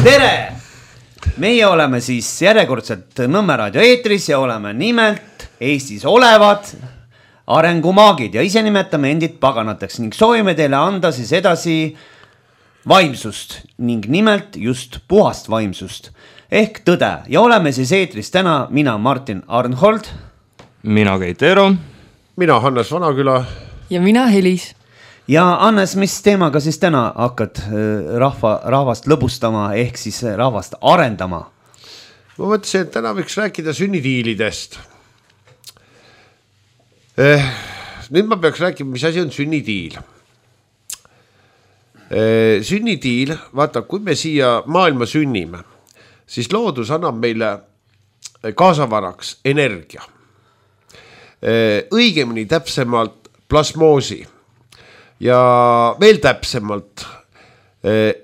Tere! Meie oleme siis järjekordselt Nõmme raadio eetris ja oleme nimelt Eestis olevad arengumaagid ja ise nimetame endid paganateks ning soovime teile anda siis edasi vaimsust ning nimelt just puhast vaimsust ehk tõde ja oleme siis eetris täna mina Martin Arnhold, mina Keit Eero, mina Hannes Vanaküla ja mina Helis. Ja Hannes, mis teemaga siis täna hakkad rahvast lõbustama ehk siis rahvast arendama? Ma mõtlesin, et täna võiks rääkida sünnitiilidest. Nüüd ma peaks rääkima, mis asi on sünnitiil. Sünnitiil, vaata, kui me siia maailma sünnime, siis loodus annab meile kaasavaraks energia. Õigemini täpsemalt plasmoosi. Ja veel täpsemalt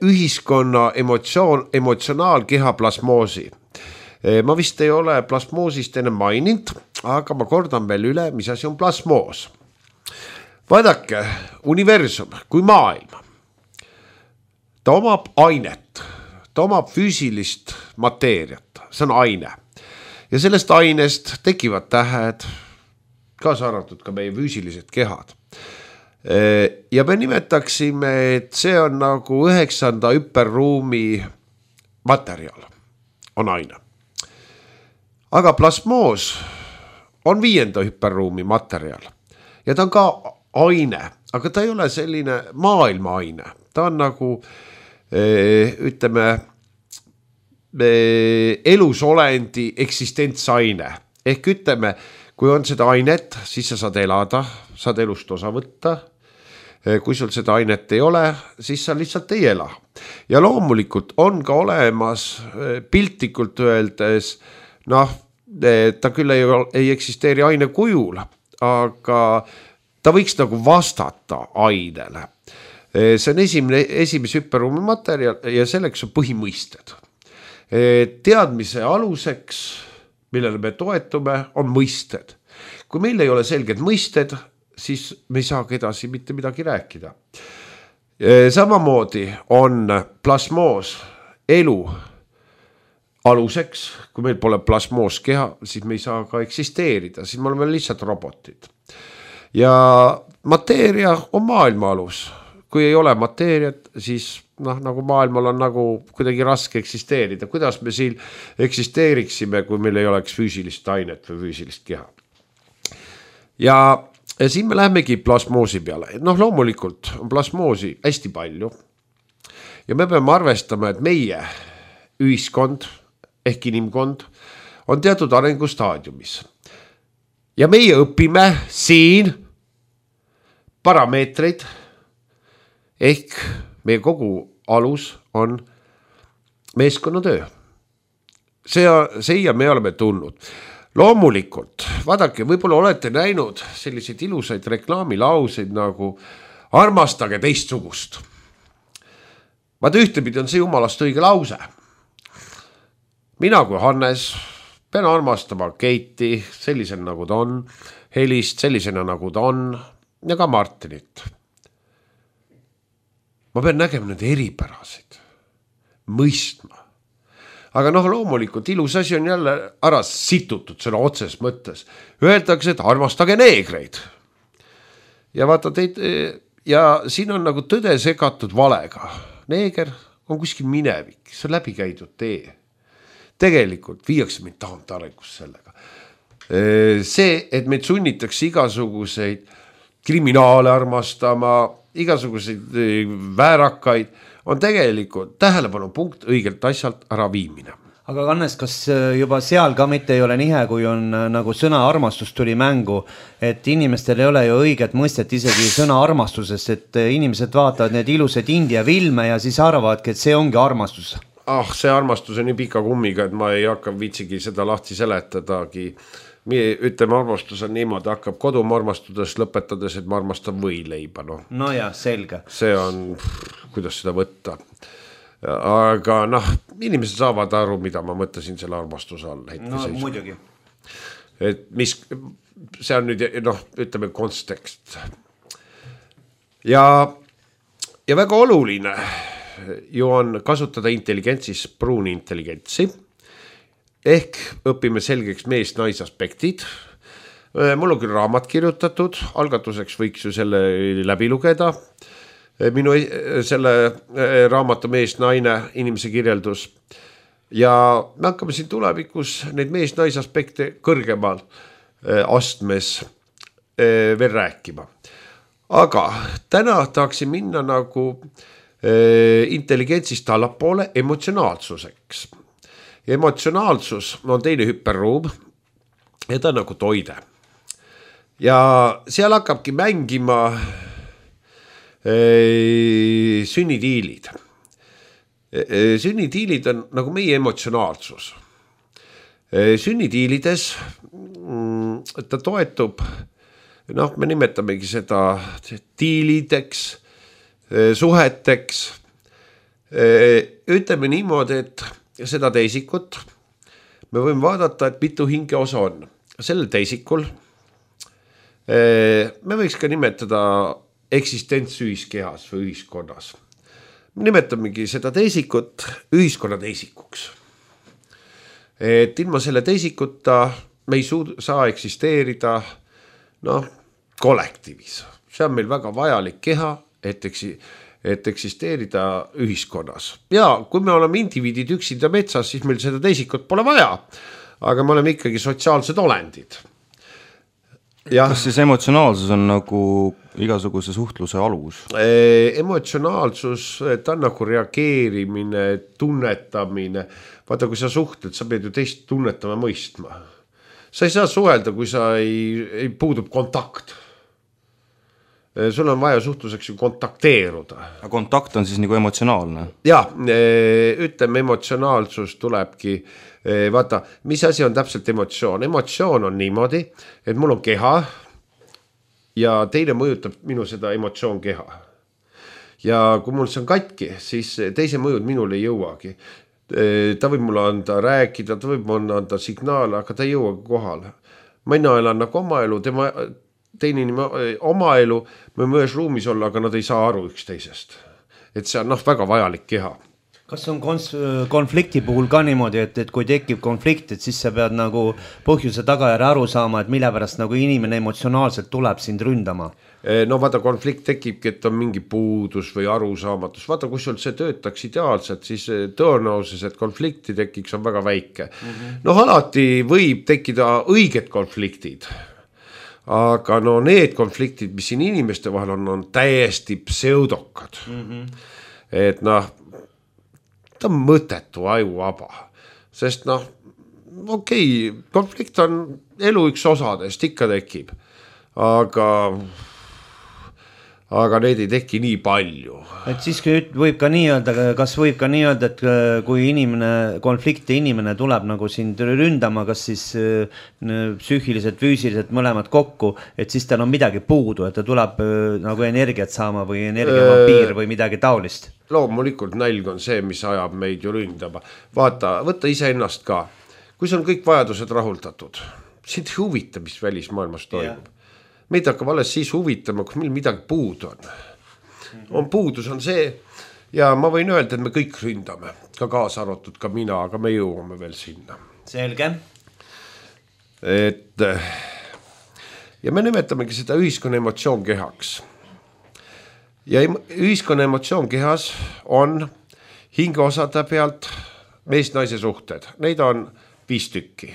ühiskonna emotsionaalkeha plasmoosi. Ma vist ei ole plasmoosist enne maininud, aga ma kordan veel üle, mis asi on plasmoos. Vaadake, universum kui maailm, ta omab ainet, ta omab füüsilist mateeriat, see on aine. Ja sellest ainest tekivad tähed, kaasa arvatud ka meie füüsilised kehad. Ja me nimetaksime, et see on nagu 9. hüperruumi materjal, on aine. Aga plasmoos on 5. hüperruumi materjal ja ta on ka aine, aga ta ei ole selline maailma aine. Ta on nagu, ütleme, elusolendi eksistentsaine. Ehk ütleme, kui on seda ainet, siis sa saad elada, saad elust osa võtta. Kui sul seda ainet ei ole, siis sa lihtsalt ei ela. Ja loomulikult on ka olemas piltlikult öeldes, ta küll ei eksisteeri aine kujul, aga ta võiks nagu vastata ainele. See on esimese hüperruumi materjal ja selleks on põhimõisted. Teadmise aluseks, millele me toetume, on mõisted. Kui meil ei ole selged mõisted, siis me ei saagi edasi mitte midagi rääkida. Samamoodi on plasmoos elu aluseks. Kui meil pole plasmoos keha, siis me ei saa ka eksisteerida, siis me oleme lihtsalt robotid. Ja mateeria on maailma alus. Kui ei ole mateeriat, siis nagu maailmal on nagu kuidagi raske eksisteerida. Kuidas me siin eksisteeriksime, kui meil ei oleks füüsilist ainet või füüsilist keha? Ja siin me lähemegi plasmoosi peale. Loomulikult on plasmoosi hästi palju. Ja me peame arvestama, et meie ühiskond ehk inimkond on teatud arengustaadiumis. Ja meie õpime siin parameetreid ehk meie kogu alus on meeskonnatöö. See ja me oleme tulnud. Loomulikult, vaadake, võib-olla olete näinud selliseid ilusaid reklaamilauseid nagu armastage teistsugust. Vaata ühtepidi on see jumalast õige lause. Mina kui Hannes pean armastama Keiti sellisena nagu ta on, Helist sellisena nagu ta on ja ka Martinit. Ma pean nägema nende eripärasid, mõistma. Aga loomulikult ilus asi on jälle ära situtud sõna otses mõttes. Öeldakse, et armastage neegreid. Ja vaata teid, ja siin on nagu tõde segatud valega. Neeger on kuskil minevik, see on läbi käidud tee. Tegelikult viiakse meid tahant arengus sellega. See, et meid sunnitakse igasuguseid kriminaale armastama, igasuguseid väärakaid, on tegelikult tähelepanu punkt õigelt asjalt ära viimine. Aga Hannes, kas juba seal ka mitte ei ole nihe, kui on nagu sõna armastus tuli mängu, et inimestel ei ole ju õiget mõistet isegi sõna armastusest, et inimesed vaatavad need ilusad India filme ja siis arvavadki, et see ongi armastus. See armastus on nii pika kummiga, et ma ei hakka viitsigi seda lahti seletadagi. Ütleme, armastus on niimoodi, hakkab koduma armastudest lõpetades, et ma armastan võileiba. No ja, selge. See on, kuidas seda võtta. Aga inimesed saavad aru, mida ma mõtlesin selle armastuse all. Muidugi. Et mis, see on nüüd, ütleme, kontekst. Ja väga oluline ju on kasutada intelligentsis pruuni intelligentsi ehk õpime selgeks mees-nais aspektid. Mul on küll raamat kirjutatud, algatuseks võiks ju selle läbi lugeda. Minu selle raamatu mees-naine inimese kirjeldus ja me hakkame siin tulevikus neid mees-nais aspekte kõrgemal astmes veel rääkima. Aga täna tahaksin minna nagu intelligentsist allapoole emotsionaalsuseks. Emotsionaalsus on teine hüperruum ja ta on nagu toide. Ja seal hakkabki mängima sünnitiilid. Sünnitiilid on nagu meie emotsionaalsus. Sünnitiilides ta toetub, me nimetamegi seda tiilideks, suheteks. Ütleme niimoodi, et seda teisikut me võime vaadata, et mitu hinge osa on. Sellel teisikul me võiks ka nimetada eksistents ühiskehas või ühiskonnas. Me nimetamegi seda teisikut ühiskonna teisikuks. Et ilma selle teisikuta me ei saa eksisteerida kollektiivis. See on meil väga vajalik keha, et eksisteerida ühiskonnas. Ja kui me oleme indiviidid üksinda metsas, siis meil seda teisikut pole vaja, aga me oleme ikkagi sotsiaalsed olendid. Kas siis emotsionaalsus on nagu igasuguse suhtluse alus? Emotsionaalsus, ta on nagu reageerimine, tunnetamine. Vaata, kui sa suhtled, sa pead ju teist tunnetama mõistma. Sa ei saa suhelda, kui sa ei puudub kontakt. Sul on vaja suhtluseks ju kontakteeruda. Aga kontakt on siis nagu emotsionaalne? Ja, ütleme, emotsionaalsus tulebki. Vaata, mis asi on täpselt emotsioon? Emotsioon on niimoodi, et mul on keha ja teine mõjutab minu seda emotsioon keha. Ja kui mul see on katki, siis teise mõjud minul ei jõuagi. Ta võib mulle anda rääkida, ta võib mulle anda signaale, aga ta ei jõuagi kohale. Mina elan nagu oma elu, teine inimene oma elu, me mõnes ruumis olla, aga nad ei saa aru üksteisest. Et see on väga vajalik keha. Kas on konflikti puhul ka niimoodi, et kui tekib konflikt, et siis sa pead nagu põhjuse tagajärje aru saama, et mille pärast nagu inimene emotsionaalselt tuleb sind ründama? Vaata, konflikt tekibki, et on mingi puudus või arusaamatus. Vaata, kui sul see töötaks ideaalselt, siis tõenäosus, et konflikti tekiks, on väga väike. Alati võib tekkida õiged konfliktid. Aga need konfliktid, mis siin inimeste vahel on täiesti pseudokad. Et ta on mõtetu ajuvaba, sest konflikt on elu üks osadest, ikka tekib, aga neid ei teki nii palju. Et siis võib ka nii öelda, kas võib ka nii öelda, et kui konflikti inimene tuleb nagu sind ründama, kas siis psüühiliselt, füüsiliselt mõlemad kokku, et siis tal on midagi puudu, et ta tuleb nagu energiat saama või energiavampiir või midagi taolist? Loomulikult nälg on see, mis ajab meid ju ründama. Vaata, võtta iseennast ka. Kui see on kõik vajadused rahuldatud, sind ei huvita, mis välismaailmas toimub. Meid hakkab alles siis huvitama, kui meil midagi puudu on. Puudus on see ja ma võin öelda, et me kõik ründame, ka kaasa arvatud ka mina, aga me jõuame veel sinna. Selge. Ja me nimetamegi seda ühiskonna emotsioon kehaks. Ja ühiskonna emotsioon kehas on hingeosade pealt mees-naise suhted. Neid on 5 tükki.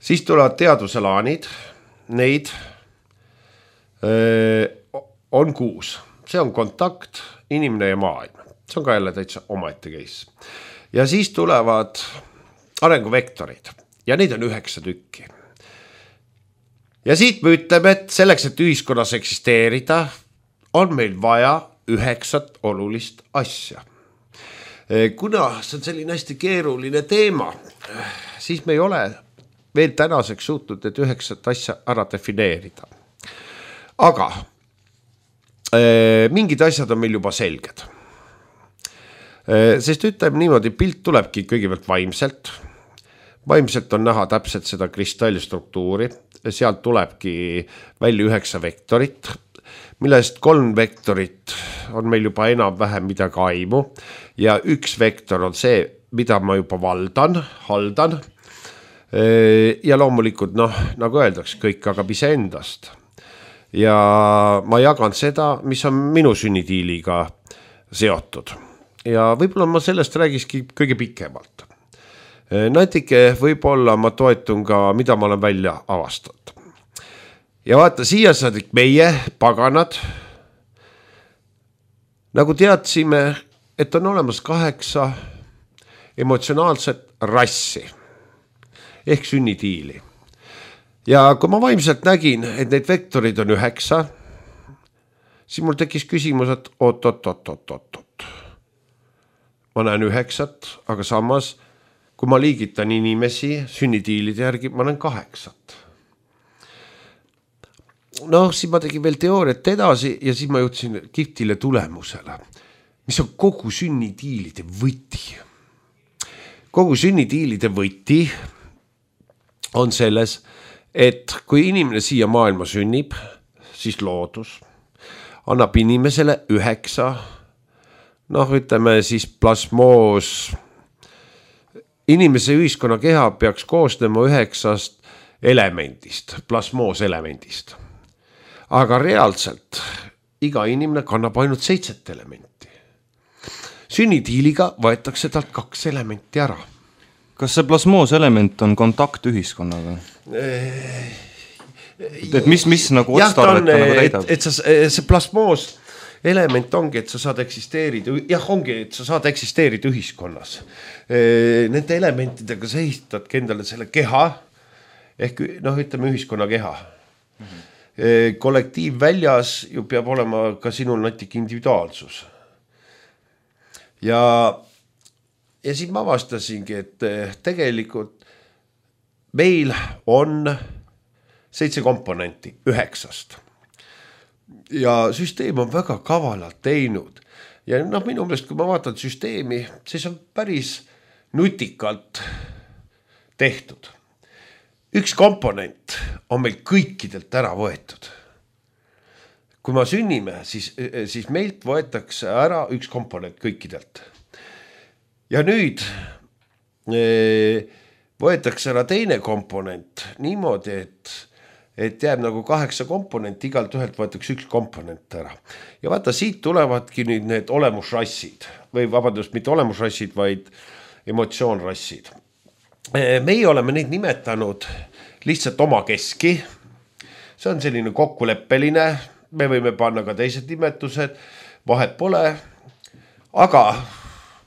Siis tulevad teaduselaanid. Neid on 6. See on kontakt, inimene ja maailm. See on ka jälle täitsa omaette case. Ja siis tulevad arenguvektorid. Ja neid on 9 tükki. Ja siit me ütleme, et selleks, et ühiskonnas eksisteerida, on meil vaja 9 olulist asja. Kuna see on selline hästi keeruline teema, siis me ei ole veel tänaseks suutnud need 9 asja ära defineerida. Aga mingid asjad on meil juba selged. Sest ütleme niimoodi, pilt tulebki kõigepealt vaimselt. Vaimselt on näha täpselt seda kristallstruktuuri. Sealt tulebki välja 9 vektorit. millest 3 vektorit on meil juba enam-vähem midagi aimu ja üks vektor on see, mida ma juba haldan. Ja loomulikult, nagu öeldaks, kõik hakkab iseendast. Ja ma jagan seda, mis on minu sünnitiiliga seotud. Ja võib-olla ma sellest räägiski kõige pikemalt. Natuke võib-olla ma toetun ka, mida ma olen välja avastanud. Ja vaata, siia saadik meie, paganad, nagu teadsime, et on olemas 8 emotsionaalset rassi ehk sünnitiili. Ja kui ma vaimselt nägin, et neid vektorid on 9, siis mul tekkis küsimus, et oot. Ma näen 9, aga samas, kui ma liigitan inimesi sünnitiilide järgi, ma näen 8. Siis ma tegin veel teooriat edasi ja siis ma jõudsin kihvtile tulemusele, mis on kogu sünnitiilide võti. Kogu sünnitiilide võti on selles, et kui inimene siia maailma sünnib, siis loodus annab inimesele 9, ütleme siis plasmoos. Inimese ühiskonna keha peaks koosnema 9 elemendist, plasmoos elemendist. Aga reaalselt iga inimene kannab ainult 7 elementi. Sünnitiiliga võetakse talt 2 elementi ära. Kas see plasmoos element on kontakt ühiskonnaga? Et mis nagu otstarvet nagu täidab? Et see plasmoos element ongi, et sa saad eksisteerida ühiskonnas. Nende elementidega sa ehitadki endale selle keha ehk ütleme ühiskonna keha. Kollektiiv väljas ju peab olema ka sinul natuke individuaalsus. Ja siis ma avastasingi, et tegelikult meil on 7 komponenti 9. Ja süsteem on väga kavalalt teinud. Ja minu meelest, kui ma vaatan süsteemi, siis on päris nutikalt tehtud. Üks komponent on meil kõikidelt ära võetud. Kui ma sünnime, siis meilt võetakse ära üks komponent kõikidelt. Ja nüüd võetakse ära teine komponent niimoodi, et jääb nagu 8 komponenti, igalt ühelt võetakse üks komponent ära. Ja vaata, siit tulevadki nüüd need olemusrassid või vabandust, mitte olemusrassid, vaid emotsioonrassid. Meie oleme neid nimetanud lihtsalt oma keski. See on selline kokkuleppeline, me võime panna ka teised nimetused, vahet pole, aga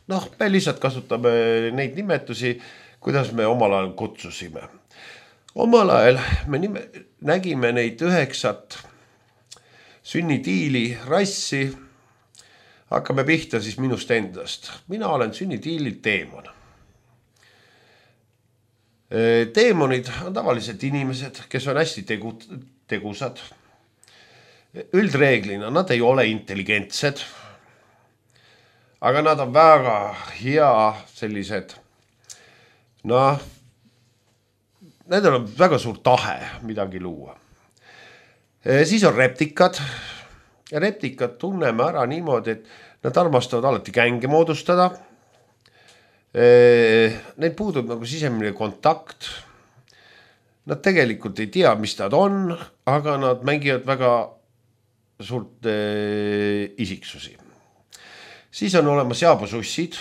me lihtsalt kasutame neid nimetusi, kuidas me omal ajal kutsusime. Omal ajal me nägime neid 9 sünnitiili rassi, hakkame pihta siis minust endast. Mina olen sünnitiilil teemon. Teemonid on tavaliselt inimesed, kes on hästi tegusad. Üldreeglina nad ei ole intelligentsed, aga nad on väga hea sellised, nendel on väga suur tahe midagi luua. Siis on reptikad. Ja reptikad tunneme ära niimoodi, et nad armastavad alati gänge moodustada. Neil puudub nagu sisemine kontakt. Nad tegelikult ei tea, mis nad on, aga nad mängivad väga suurt isiksusi. Siis on olemas jaabusussid.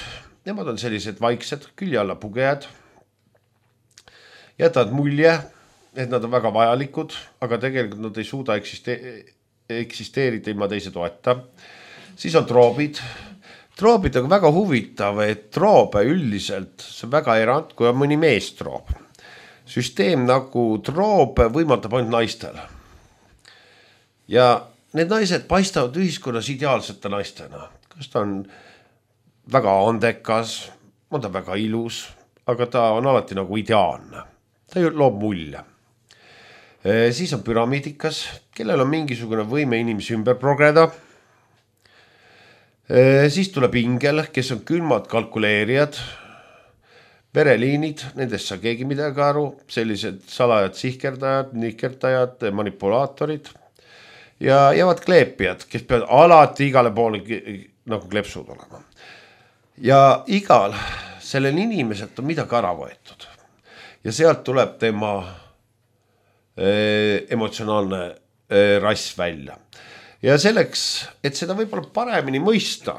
Nemad on sellised vaiksed, külje alla pugejad. Jätavad mulje, et nad on väga vajalikud, aga tegelikult nad ei suuda eksisteerida ilma teise toeta. Siis on troobid. Troobid on väga huvitav, et troobe üldiselt, see on väga erand, kui on mõni meestroob. Süsteem nagu troob võimaldab ainult naistel. Ja need naised paistavad ühiskonnas ideaalsete naistena. Kas ta on väga andekas, on ta väga ilus, aga ta on alati nagu ideaalne. Ta loob mulje. Siis on püramiidikas, kellel on mingisugune võime inimesi ümber progreda. Siis tuleb ingel, kes on külmad kalkuleerijad, vereliinid, nendest saa keegi midagi aru, sellised salajad sihkerdajad, nikerdajad, manipulaatorid. ja jäävad kleepijad, kes peavad alati igale poole nagu kleepsud olema. Ja igal sellel inimeselt on midagi ära võetud. Ja sealt tuleb tema emotsionaalne rass välja. Ja selleks, et seda võib-olla paremini mõista,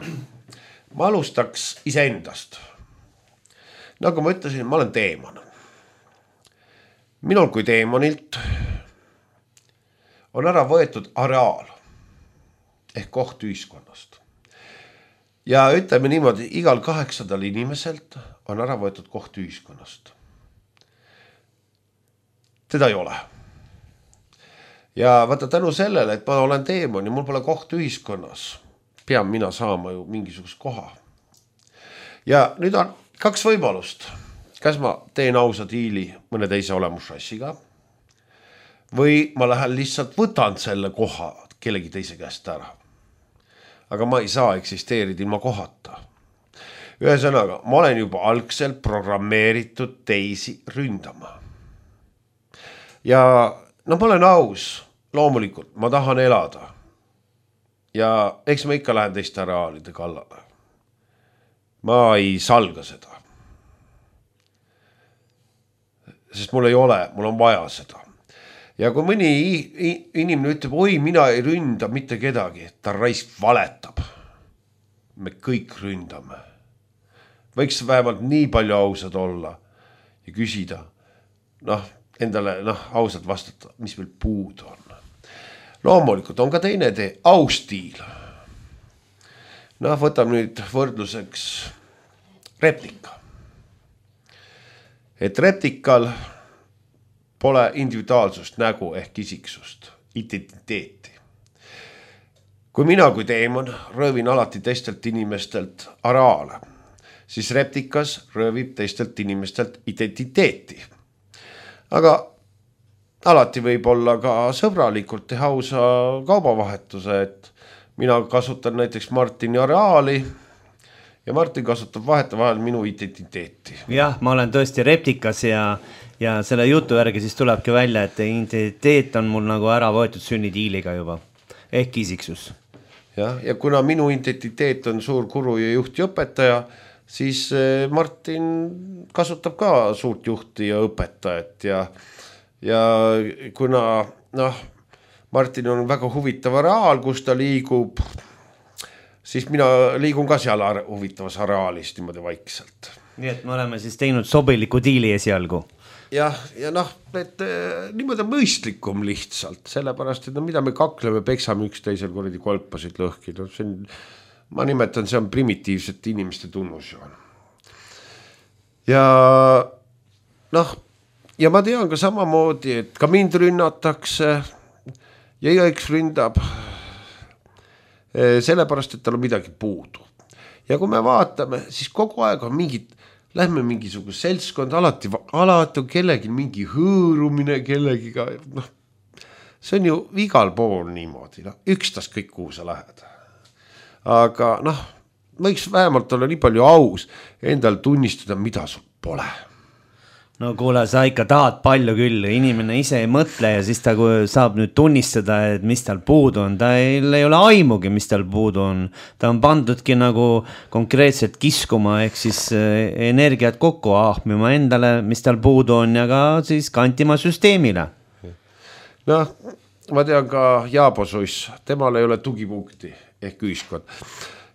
ma alustaks iseendast. Nagu ma ütlesin, ma olen teemon. Minul kui teemonilt on ära võetud areaal ehk koht ühiskonnast. Ja ütleme niimoodi, igal 800 inimeselt on ära võetud koht ühiskonnast. Teda ei ole. Ja vaata tänu sellele, et ma olen teemon ja mul pole koht ühiskonnas, pean mina saama ju mingisugust koha. Ja nüüd on 2 võimalust. Kas ma teen ausa diili mõne teise olemusrassiga või ma lähen lihtsalt võtan selle koha kellegi teise käest ära. Aga ma ei saa eksisteerida ilma kohata. Ühesõnaga, ma olen juba algselt programmeeritud teisi ründama. Ja no ma olen aus, loomulikult, ma tahan elada. Ja eks ma ikka lähen teiste areaalide kallale. Ma ei salga seda. Sest mul ei ole, mul on vaja seda. Ja kui mõni inimene ütleb, oi, mina ei ründa mitte kedagi, ta raisk valetab. Me kõik ründame. Võiks vähemalt nii palju ausad olla ja küsida, endale ausalt vastata, mis meil puud on. Loomulikult on ka teine tee, austiil. Võtame nüüd võrdluseks replika. Et replikal pole individuaalsust, nägu ehk isiksust, identiteeti. Kui mina kui teemon röövin alati teistelt inimestelt areaale, siis replikas röövib teistelt inimestelt identiteeti. Aga alati võib olla ka sõbralikult teha ausa kaubavahetuse, et mina kasutan näiteks Martini areaali ja Martin kasutab vahetevahel minu identiteeti. Jah, ma olen tõesti replikas ja selle jutu järgi siis tulebki välja, et identiteet on mul nagu ära võetud sünnidiiliga juba, ehk isiksus. Ja kuna minu identiteet on suur guru ja juht ja õpetaja, siis Martin kasutab ka suurt juhti ja õpetajat ja kuna Martin on väga huvitav areaal, kus ta liigub, siis mina liigun ka seal huvitavas areaalis niimoodi vaikselt. Nii et me oleme siis teinud sobiliku diili esialgu. Ja et niimoodi on mõistlikum lihtsalt, sellepärast, et mida me kakleme, peksame üksteisel kuradi kolpasid lõhki. Ma nimetan, see on primitiivsete inimeste tunnusjoon. Ja ma tean ka samamoodi, et ka mind rünnatakse ja igaüks ründab sellepärast, et tal on midagi puudu. Ja kui me vaatame, siis kogu aeg on mingid, lähme mingisugust seltskond, alati on kellegi mingi hõõrumine kellegiga. See on ju igal pool niimoodi, ükstas kõik, kuhu sa lähed. Aga võiks vähemalt olla nii palju aus endal tunnistada, mida sul pole. No kuule, sa ikka tahad palju küll, inimene ise ei mõtle ja siis ta saab nüüd tunnistada, et mis tal puudu on. Ta ei ole aimugi, mis tal puudu on. Ta on pandudki nagu konkreetselt kiskuma, ehk siis energiat kokku ahmima endale, mis tal puudu on ja ka siis kantima süsteemile. Ma tean ka Jaabosuss, temal ei ole tugipunkti ehk ühiskond.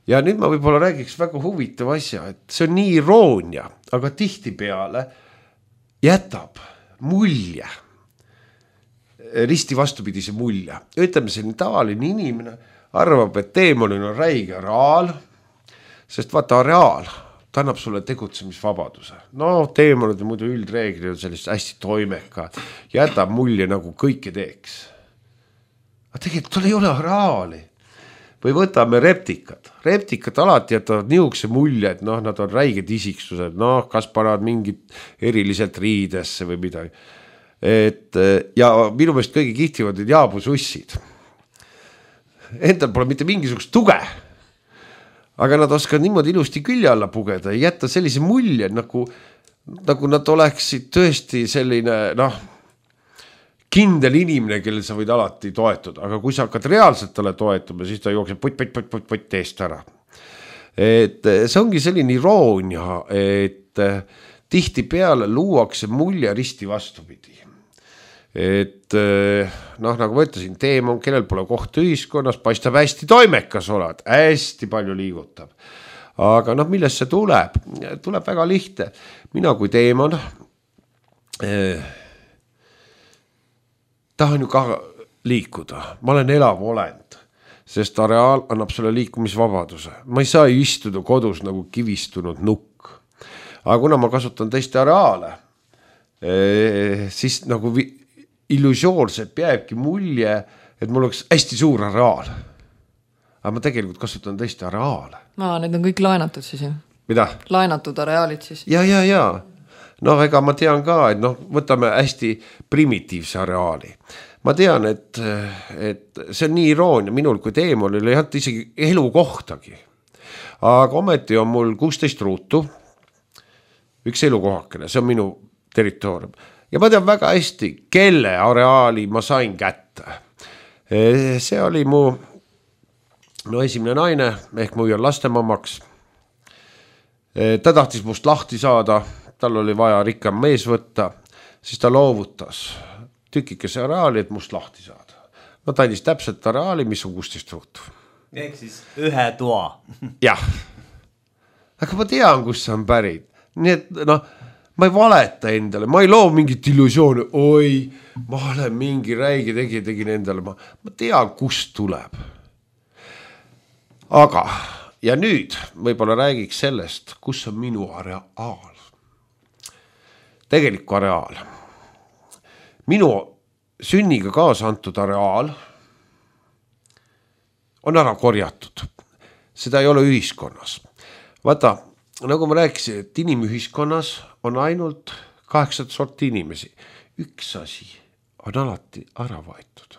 Ja nüüd ma võib-olla räägiks väga huvitav asja, et see on nii iroonia, aga tihti peale jätab mulje, risti vastupidise mulje. Ütleme, selline tavaline inimene arvab, et teemonil on räige areaal, sest vaata areaal, ta annab sulle tegutsemisvabaduse. Teemonid muidu üldreeglid on sellist hästi toimeka, jätab mulje nagu kõike teeks. Aga tegelikult tal ei ole areaali. Või võtame reptikad. Reptikad alati jätavad niisuguse mulje, et nad on räiged isiksused, kas panevad mingit eriliselt riidesse või midagi. Ja minu meelest kõige kihtivad jaabusussid. Endal pole mitte mingisugust tuge, aga nad oskavad niimoodi ilusti külje alla pugeda ja jätta sellise mulje, nagu nad oleksid tõesti selline, kindel inimene, kellel sa võid alati toetuda, aga kui sa hakkad reaalselt talle toetuma, siis ta jookseb putt teest ära. Et see ongi selline iroonia, et tihtipeale luuakse mulje risti vastupidi. Et noh, nagu ma ütlesin, teemon, kellel pole kohta ühiskonnas, paistab hästi toimekas oled, hästi palju liigutab. Aga noh, millest see tuleb? Tuleb väga lihtne. Mina kui teemon tahan ju ka liikuda. Ma olen elav olend, sest areaal annab sulle liikumisvabaduse. Ma ei saa istuda kodus nagu kivistunud nukk. Aga kuna ma kasutan teiste areaale, siis nagu illusioonselt jääbki mulje, et mul oleks hästi suur areaal. Aga ma tegelikult kasutan teiste areaale. Need on kõik laenatud siis, jah? Mida? Laenatud areaalid siis? Ja. No ega ma tean ka, et noh, võtame hästi primitiivse areaali. Ma tean, et see on nii iroonia minul kui teemonil ei olnud isegi elukohtagi. Aga ometi on mul 16 ruutu, üks elukohakene, see on minu territoorium. Ja ma tean väga hästi, kelle areaali ma sain kätte. See oli mu esimene naine, ehk mu on lastemamaks. Ta tahtis must lahti saada, tal oli vaja rikkam mees võtta, siis ta loovutas tükikese areaali, et must lahti saada. No ta andis täpselt areaali, mis on 16 ruutu. Ehk siis ühe toa. Jah. Aga ma tean, kus see on pärit. Nii et noh, ma ei valeta endale, ma ei loo mingit illusiooni, oi, ma olen mingi räige tegin endale, ma tean, kust tuleb. Aga, ja nüüd võib-olla räägiks sellest, kus on minu areaal. Tegelikku areaal. Minu sünniga kaasa antud areaal on ära korjatud. Seda ei ole ühiskonnas. Vaata, nagu ma rääkisin, et inimühiskonnas on ainult 8 sorti inimesi. Üks asi on alati ära võetud.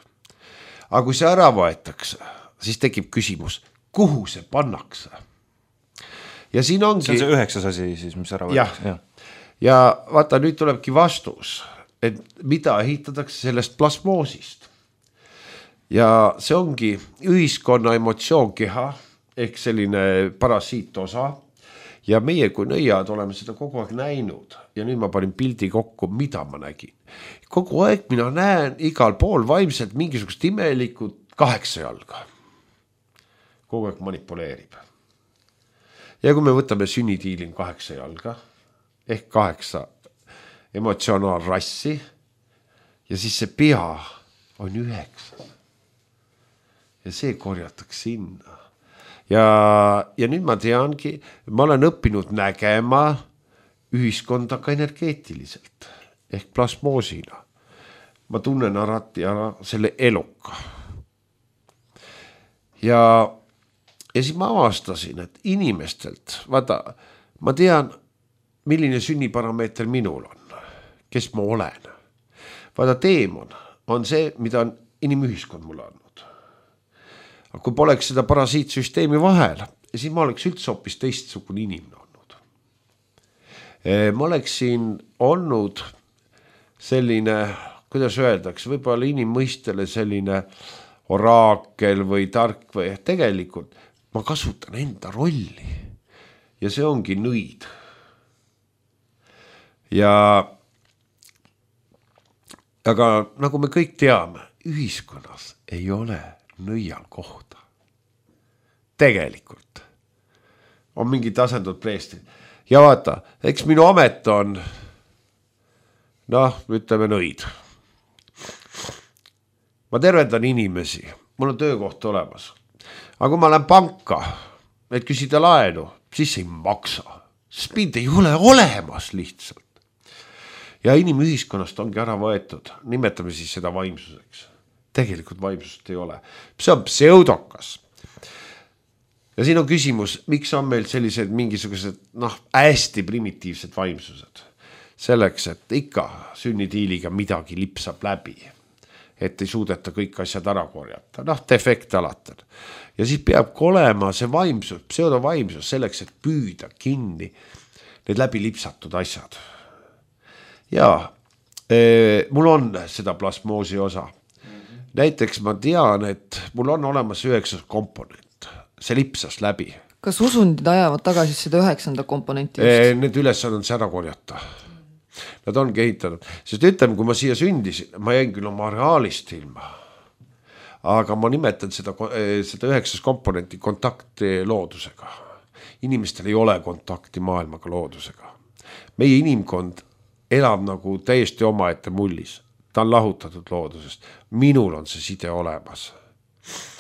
Aga kui see ära võetakse, siis tekib küsimus, kuhu see pannakse? Ja siin ongi... See on see 9. asi siis, mis ära võetakse. Ja vaata, nüüd tulebki vastus, et mida ehitatakse sellest plasmoosist. Ja see ongi ühiskonna emotsioonkeha, ehk selline parasiitosa. Ja meie kui nõiad oleme seda kogu aeg näinud. Ja nüüd ma panin pildi kokku, mida ma nägin. Kogu aeg mina näen igal pool vaimselt mingisugust imelikult 8 jalga. Kogu aeg manipuleerib. Ja kui me võtame sünnitiilin 8 jalga, ehk 8 emotsionaalrassi ja siis see pea on 9. Ja see korjatakse sinna. Ja nüüd ma teangi, ma olen õppinud nägema ühiskonda ka energeetiliselt ehk plasmoosina. Ma tunnen alati ära selle eluka. Ja siis ma avastasin, et inimestelt, vaata, ma tean, milline sünniparameeter minul on, kes ma olen. Vaata, teemon on see, mida on inimühiskond mulle andnud. Aga kui poleks seda parasiitsüsteemi vahel, siis ma oleks üldse hoopis teistsugune inimene olnud. Ma oleksin olnud selline, kuidas öeldakse, võib-olla inimmõistele selline oraakel või tark või tegelikult ma kasutan enda rolli ja see ongi nõid. Aga nagu me kõik teame, ühiskonnas ei ole nõial kohta. Tegelikult on mingid asendud preestrid. Ja vaata, eks minu amet on, ütleme nõid. Ma tervendan inimesi, mul on töökoht olemas. Aga kui ma lähen panka, et küsida laenu, siis ei maksa. Sest mind ei ole olemas lihtsalt. Ja inimühiskonnast ongi ära võetud, nimetame siis seda vaimsuseks. Tegelikult vaimsust ei ole. See on pseudokas. Ja siin on küsimus, miks on meil sellised mingisugused hästi primitiivsed vaimsused. Selleks, et ikka sünnitiiliga midagi lipsab läbi. Et ei suudeta kõik asjad ära korjata. Defekt alati. Ja siis peab olema see vaimsus, pseudovaimsus selleks, et püüda kinni need läbi lipsatud asjad. Ja mul on seda plasmoosi osa. Näiteks ma tean, et mul on olemas 9 komponent, see lipsas läbi. Kas usundid ajavad tagasi seda 9. komponenti? Need ülesanded ära korjata. Nad on kehitanud, sest ütleme, kui ma siia sündisin, ma jäin küll oma areaalist ilma, aga ma nimetan seda 9 komponenti kontakti loodusega. Inimestel ei ole kontakti maailmaga loodusega. Meie inimkond elab nagu täiesti omaette mullis. Ta on lahutatud loodusest. Minul on see side olemas.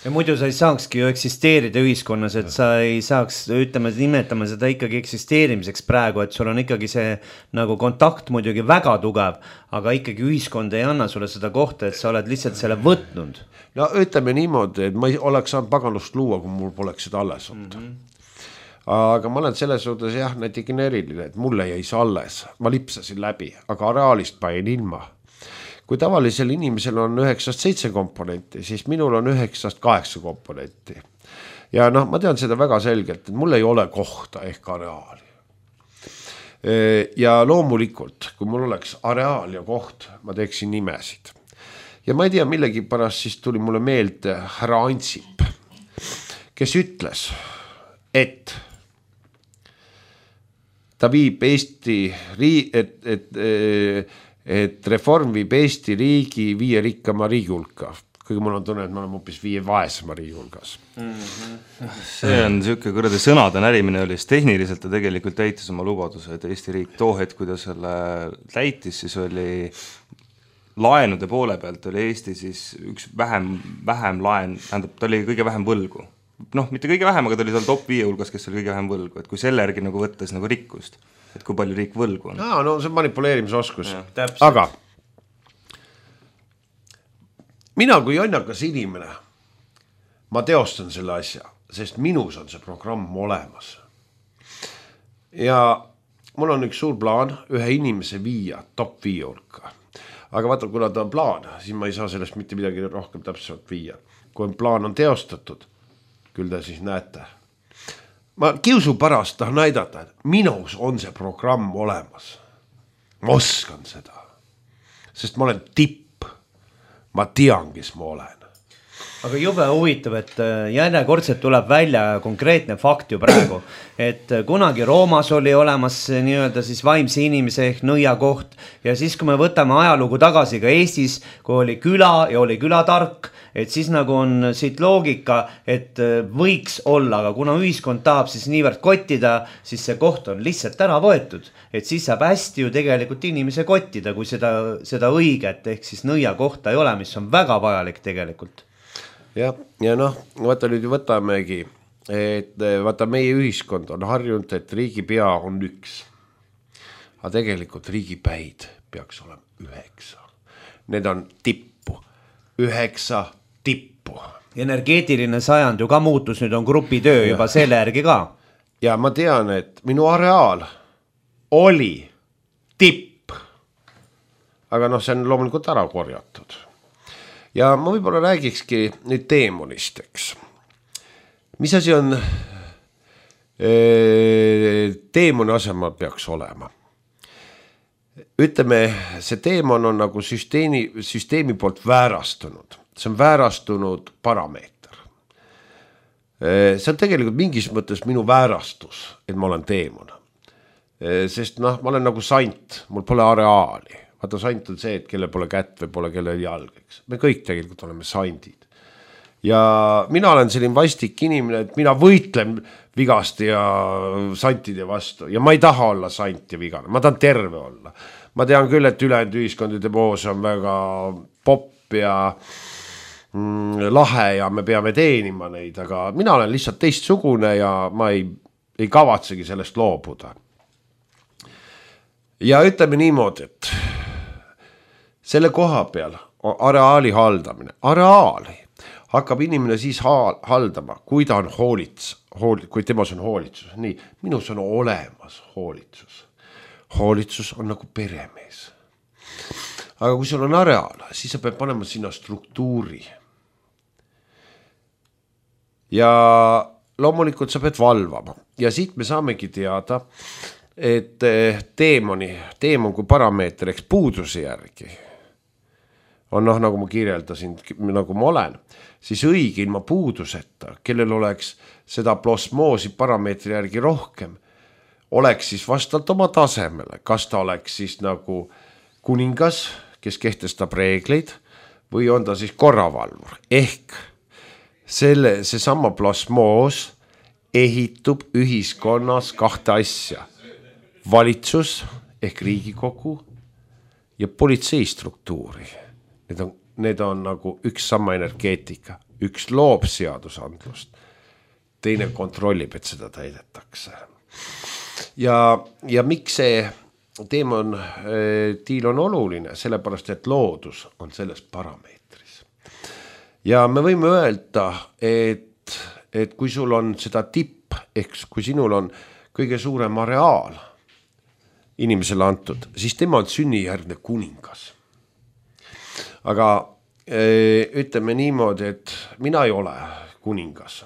Ja muidu sa ei saakski ju eksisteerida ühiskonnas, et sa ei saaks, ütleme, nimetama seda ikkagi eksisteerimiseks praegu, et sul on ikkagi see nagu kontakt muidugi väga tugev, aga ikkagi ühiskond ei anna sulle seda kohta, et sa oled lihtsalt selle võtnud. No ütleme niimoodi, et ma ei oleks saanud paganlust luua, kui mul poleks seda alles olnud. Aga ma olen selles suhtes jah, näiteks eriline, et mulle jäi see alles. Ma lipsasin läbi, aga areaalist ma jäin ilma. Kui tavalisel inimesel on 9-7 komponenti, siis minul on 9-8 komponenti. Ja noh, ma tean seda väga selgelt, et mul ei ole kohta ehk areaali. Ja loomulikult, kui mul oleks areaal ja koht, ma teeksin nimesid. Ja ma ei tea, millegi pärast siis tuli mulle meelde härra Ansip, kes ütles, et ta viib Eesti et reform viib Eesti riigi 5 rikkama riigi hulka. Kuigi mul on tunne, et me oleme hoopis 5 vaesema riigi hulgas. See on siuke kuradi sõnade närimine oli, siis tehniliselt ta tegelikult täitis oma lubaduse, et Eesti riik too hetk, kui ta selle täitis, siis oli laenude poole pealt oli Eesti siis üks vähem laen, tähendab, ta oli kõige vähem võlgu. Noh, mitte kõige vähem, aga ta oli seal top 5 hulgas, kes oli kõige vähem võlgu, et kui selle järgi nagu võttes nagu rikkust, et kui palju riik võlgu on. No see on manipuleerimisoskus. Aga mina kui jonnakas inimene, ma teostan selle asja, sest minus on see programm olemas. Ja mul on üks suur plaan ühe inimese viia top 5 hulka. Aga vaata, kuna ta on plaan, siis ma ei saa sellest mitte midagi rohkem täpselt viia. Kui plaan on teostatud, küll te siis näete. Ma kiusu pärast tahan näidata, et minus on see programm olemas. Ma oskan seda. Sest ma olen tipp. Ma tean, kes ma olen. Aga jube huvitav, et järjekordselt tuleb välja konkreetne fakt ju praegu, et kunagi Roomas oli olemas nii-öelda siis vaimse inimese ehk nõia koht ja siis, kui me võtame ajalugu tagasi ka Eestis, kui oli küla ja oli külatark, et siis nagu on siit loogika, et võiks olla, aga kuna ühiskond tahab siis niivõrd kottida, siis see koht on lihtsalt ära võetud, et siis saab hästi ju tegelikult inimese kottida, kui seda õiget ehk siis nõia kohta ei ole, mis on väga vajalik tegelikult. Ja noh, vaata nüüd võtamegi, et vaata meie ühiskond on harjunud, et riigipea on 1. Aga tegelikult riigipäid peaks olema 9. Need on tippu, 9 tippu. Energeetiline sajand ju ka muutus, nüüd on grupitöö juba selle järgi ka. Ja ma tean, et minu areaal oli tipp, aga noh, see on loomulikult ära korjatud. Ja ma võib-olla räägikski nüüd teemonisteks. Mis asi on teemoni asemel peaks olema? Ütleme, see teemon on nagu süsteemi poolt väärastunud. See on väärastunud parameeter. See on tegelikult mingis mõttes minu väärastus, et ma olen teemon. Sest noh, ma olen nagu sant, mul pole areaali. Vaata, sant on see, et kelle pole kätt või pole kelle jalg. Me kõik tegelikult oleme sandid. Ja mina olen selline vastik inimene, et mina võitlen vigasti ja santide vastu. Ja ma ei taha olla sant ja vigane, ma tahan terve olla. Ma tean küll, et ülejäänud ühiskondade poos on väga popp ja lahe ja me peame teenima neid, aga mina olen lihtsalt teistsugune ja ma ei kavatsegi sellest loobuda. Ja ütleme niimoodi, et selle koha peal on areaali haldamine. Areaali hakkab inimene siis haldama, kui ta on kui temas on hoolitsus. Nii, minus on olemas hoolitsus. Hoolitsus on nagu peremees. Aga kui sul on areaal, siis sa pead panema sinna struktuuri. Ja loomulikult sa pead valvama. Ja siit me saamegi teada, et teemon kui parameeter, eks puuduse järgi on nagu ma kirjeldasin, nagu ma olen, siis õige ilma puuduseta, kellel oleks seda plasmoosi parameetri järgi rohkem, oleks siis vastavalt oma tasemele, kas ta oleks siis nagu kuningas, kes kehtestab reegleid, või on ta siis korravalvur, ehk seesama plasmoos ehitub ühiskonnas kahte asja. Valitsus ehk Riigikogu ja politseistruktuuri. Need on nagu üks sama energeetika, üks loob seadusandlust, teine kontrollib, et seda täidetakse. Ja miks see teemon tiil on oluline, sellepärast et loodus on selles parameetris. Ja me võime öelda, et kui sul on seda tipp, ehk kui sinul on kõige suurem areaal inimesele antud, siis tema on sünnijärgne kuningas. Aga ütleme niimoodi, et mina ei ole kuningas.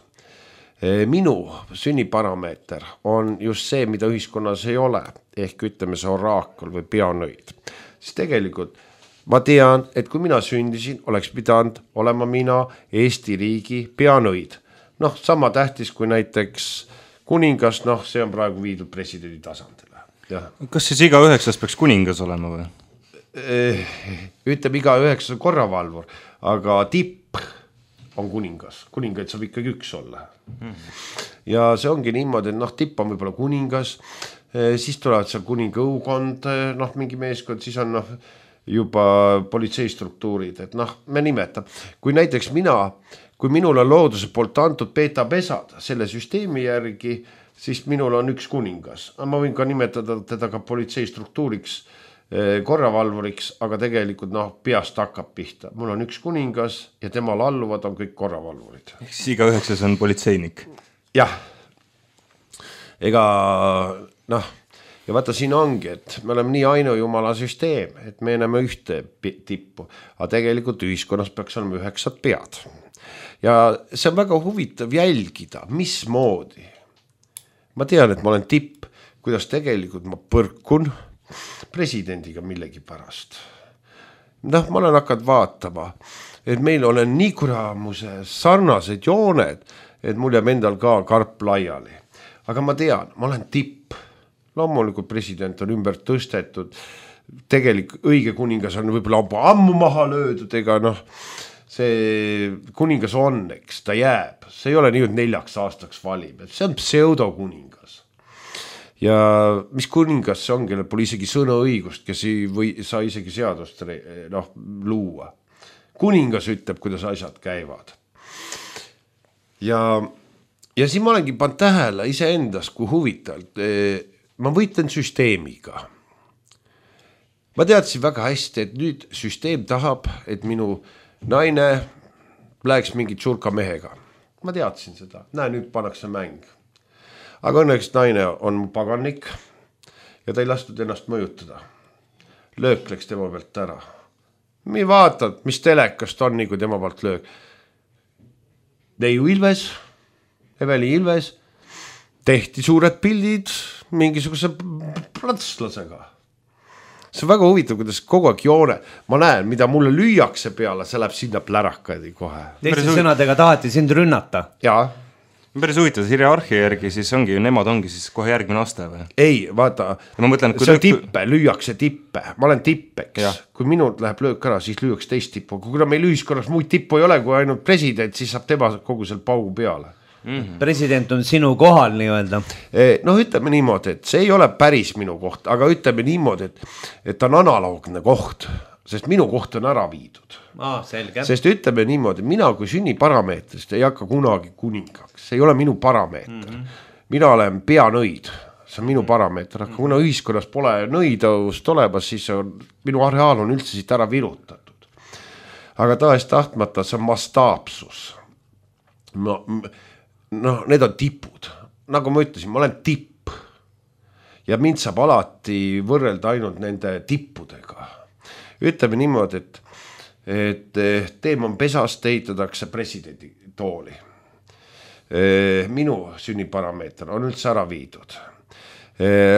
Minu sünniparameeter on just see, mida ühiskonnas ei ole, ehk ütleme see oraakul või peanõid. Siis tegelikult ma tean, et kui mina sündisin, oleks pidanud olema mina Eesti riigi peanõid. Sama tähtis kui näiteks kuningas, see on praegu viidud presidendi tasandile. Ja. Kas siis iga 9 peaks kuningas olema või? Ütleb iga 9 korravalvur, aga tipp on kuningas. Kuningaid saab ikkagi üks olla. Ja see ongi niimoodi, et tipp on võib-olla kuningas, siis tulevad seal kuninga õukond, mingi meeskond, siis on juba politseistruktuurid, et me nimetab. Kui näiteks kui minul on looduse poolt antud beta-pesad selle süsteemi järgi, siis minul on üks kuningas. Ma võin ka nimetada teda ka politseistruktuuriks, korravalvuriks, aga tegelikult peast hakkab pihta. Mul on üks kuningas ja temal alluvad on kõik korravalvurid. Siis iga 9 on politseinik. Jah. Ega ja vaata siin ongi, et me oleme nii ainujumala süsteem, et me enam ühte tippu, aga tegelikult ühiskonnas peaks olema 9 pead. Ja see on väga huvitav jälgida, mismoodi. Ma tean, et ma olen tipp, kuidas tegelikult ma põrkun presidendiga millegi pärast. Ma olen hakanud vaatama, et meil olen nii kuramuse sarnased jooned, et mul jääb endal ka karp laiali. Aga ma tean, ma olen tipp. Loomulikult president on ümber tõstetud. Õige kuningas on võib-olla ammu maha löödud, ega see kuningas on, eks ta jääb. See ei ole nii, et 4 aastaks valib. See on pseudokuningas. Ja mis kuningas see on, kellel pole isegi sõnaõigust, kes ei saa isegi seadust luua. Kuningas ütleb, kuidas asjad käivad. Ja siin ma olengi pannud tähele iseendas, kui huvitavalt. Ma võitlen süsteemiga. Ma teadsin väga hästi, et nüüd süsteem tahab, et minu naine läheks mingit surka mehega. Ma teadsin seda. Näe, nüüd pannakse mäng. Aga õnneks naine on mu pagannik ja ta ei lastud ennast mõjutada. Löök läks tema pealt ära. Mi vaatad, mis telekast on, nii kui tema pealt löök. Neiu Ilves, Eveli Ilves, tehti suured pildid mingisuguse platslasega. See on väga huvitav, kuidas kogu aeg joone. Ma näen, mida mulle lüüakse peale, see läheb sinna plärakadi kohe. Teiste sõnadega tahati sind rünnata. Jaa. Päris huvitav, hierarhia järgi siis nemad ongi siis kohe järgmine aste või? Ei, vaata, mõtlen, see on tippe, lüüakse tippe. Ma olen tippeks. Ja. Kui minult läheb löök ära, siis lüüaks teist tippu. Kuna meil ühiskonnas muid tippu ei ole, kui ainult president, siis saab tema kogu selle paugu peale. President on sinu kohal nii-öelda. Ütleme niimoodi, et see ei ole päris minu koht, aga ütleme niimoodi, et ta on analoogne koht, sest minu koht on ära viidud. Selge. Sest ütleme niimoodi, mina kui sünniparameetrist ei hakka kunagi kuningaks, see ei ole minu parameeter. Mina olen peanõid, see on minu parameeter, aga kuna ühiskonnas pole nõidavust olemas, siis minu areaal on üldse siit ära virutatud. Aga tahes tahtmata see on mastaapsus. Need on tipud. Nagu ma ütlesin, ma olen tipp. Ja mind saab alati võrrelda ainult nende tippudega. Ütleme niimoodi, et teemon pesast ehitatakse presidendi tooli. Minu sünniparameeter on üldse ära viidud.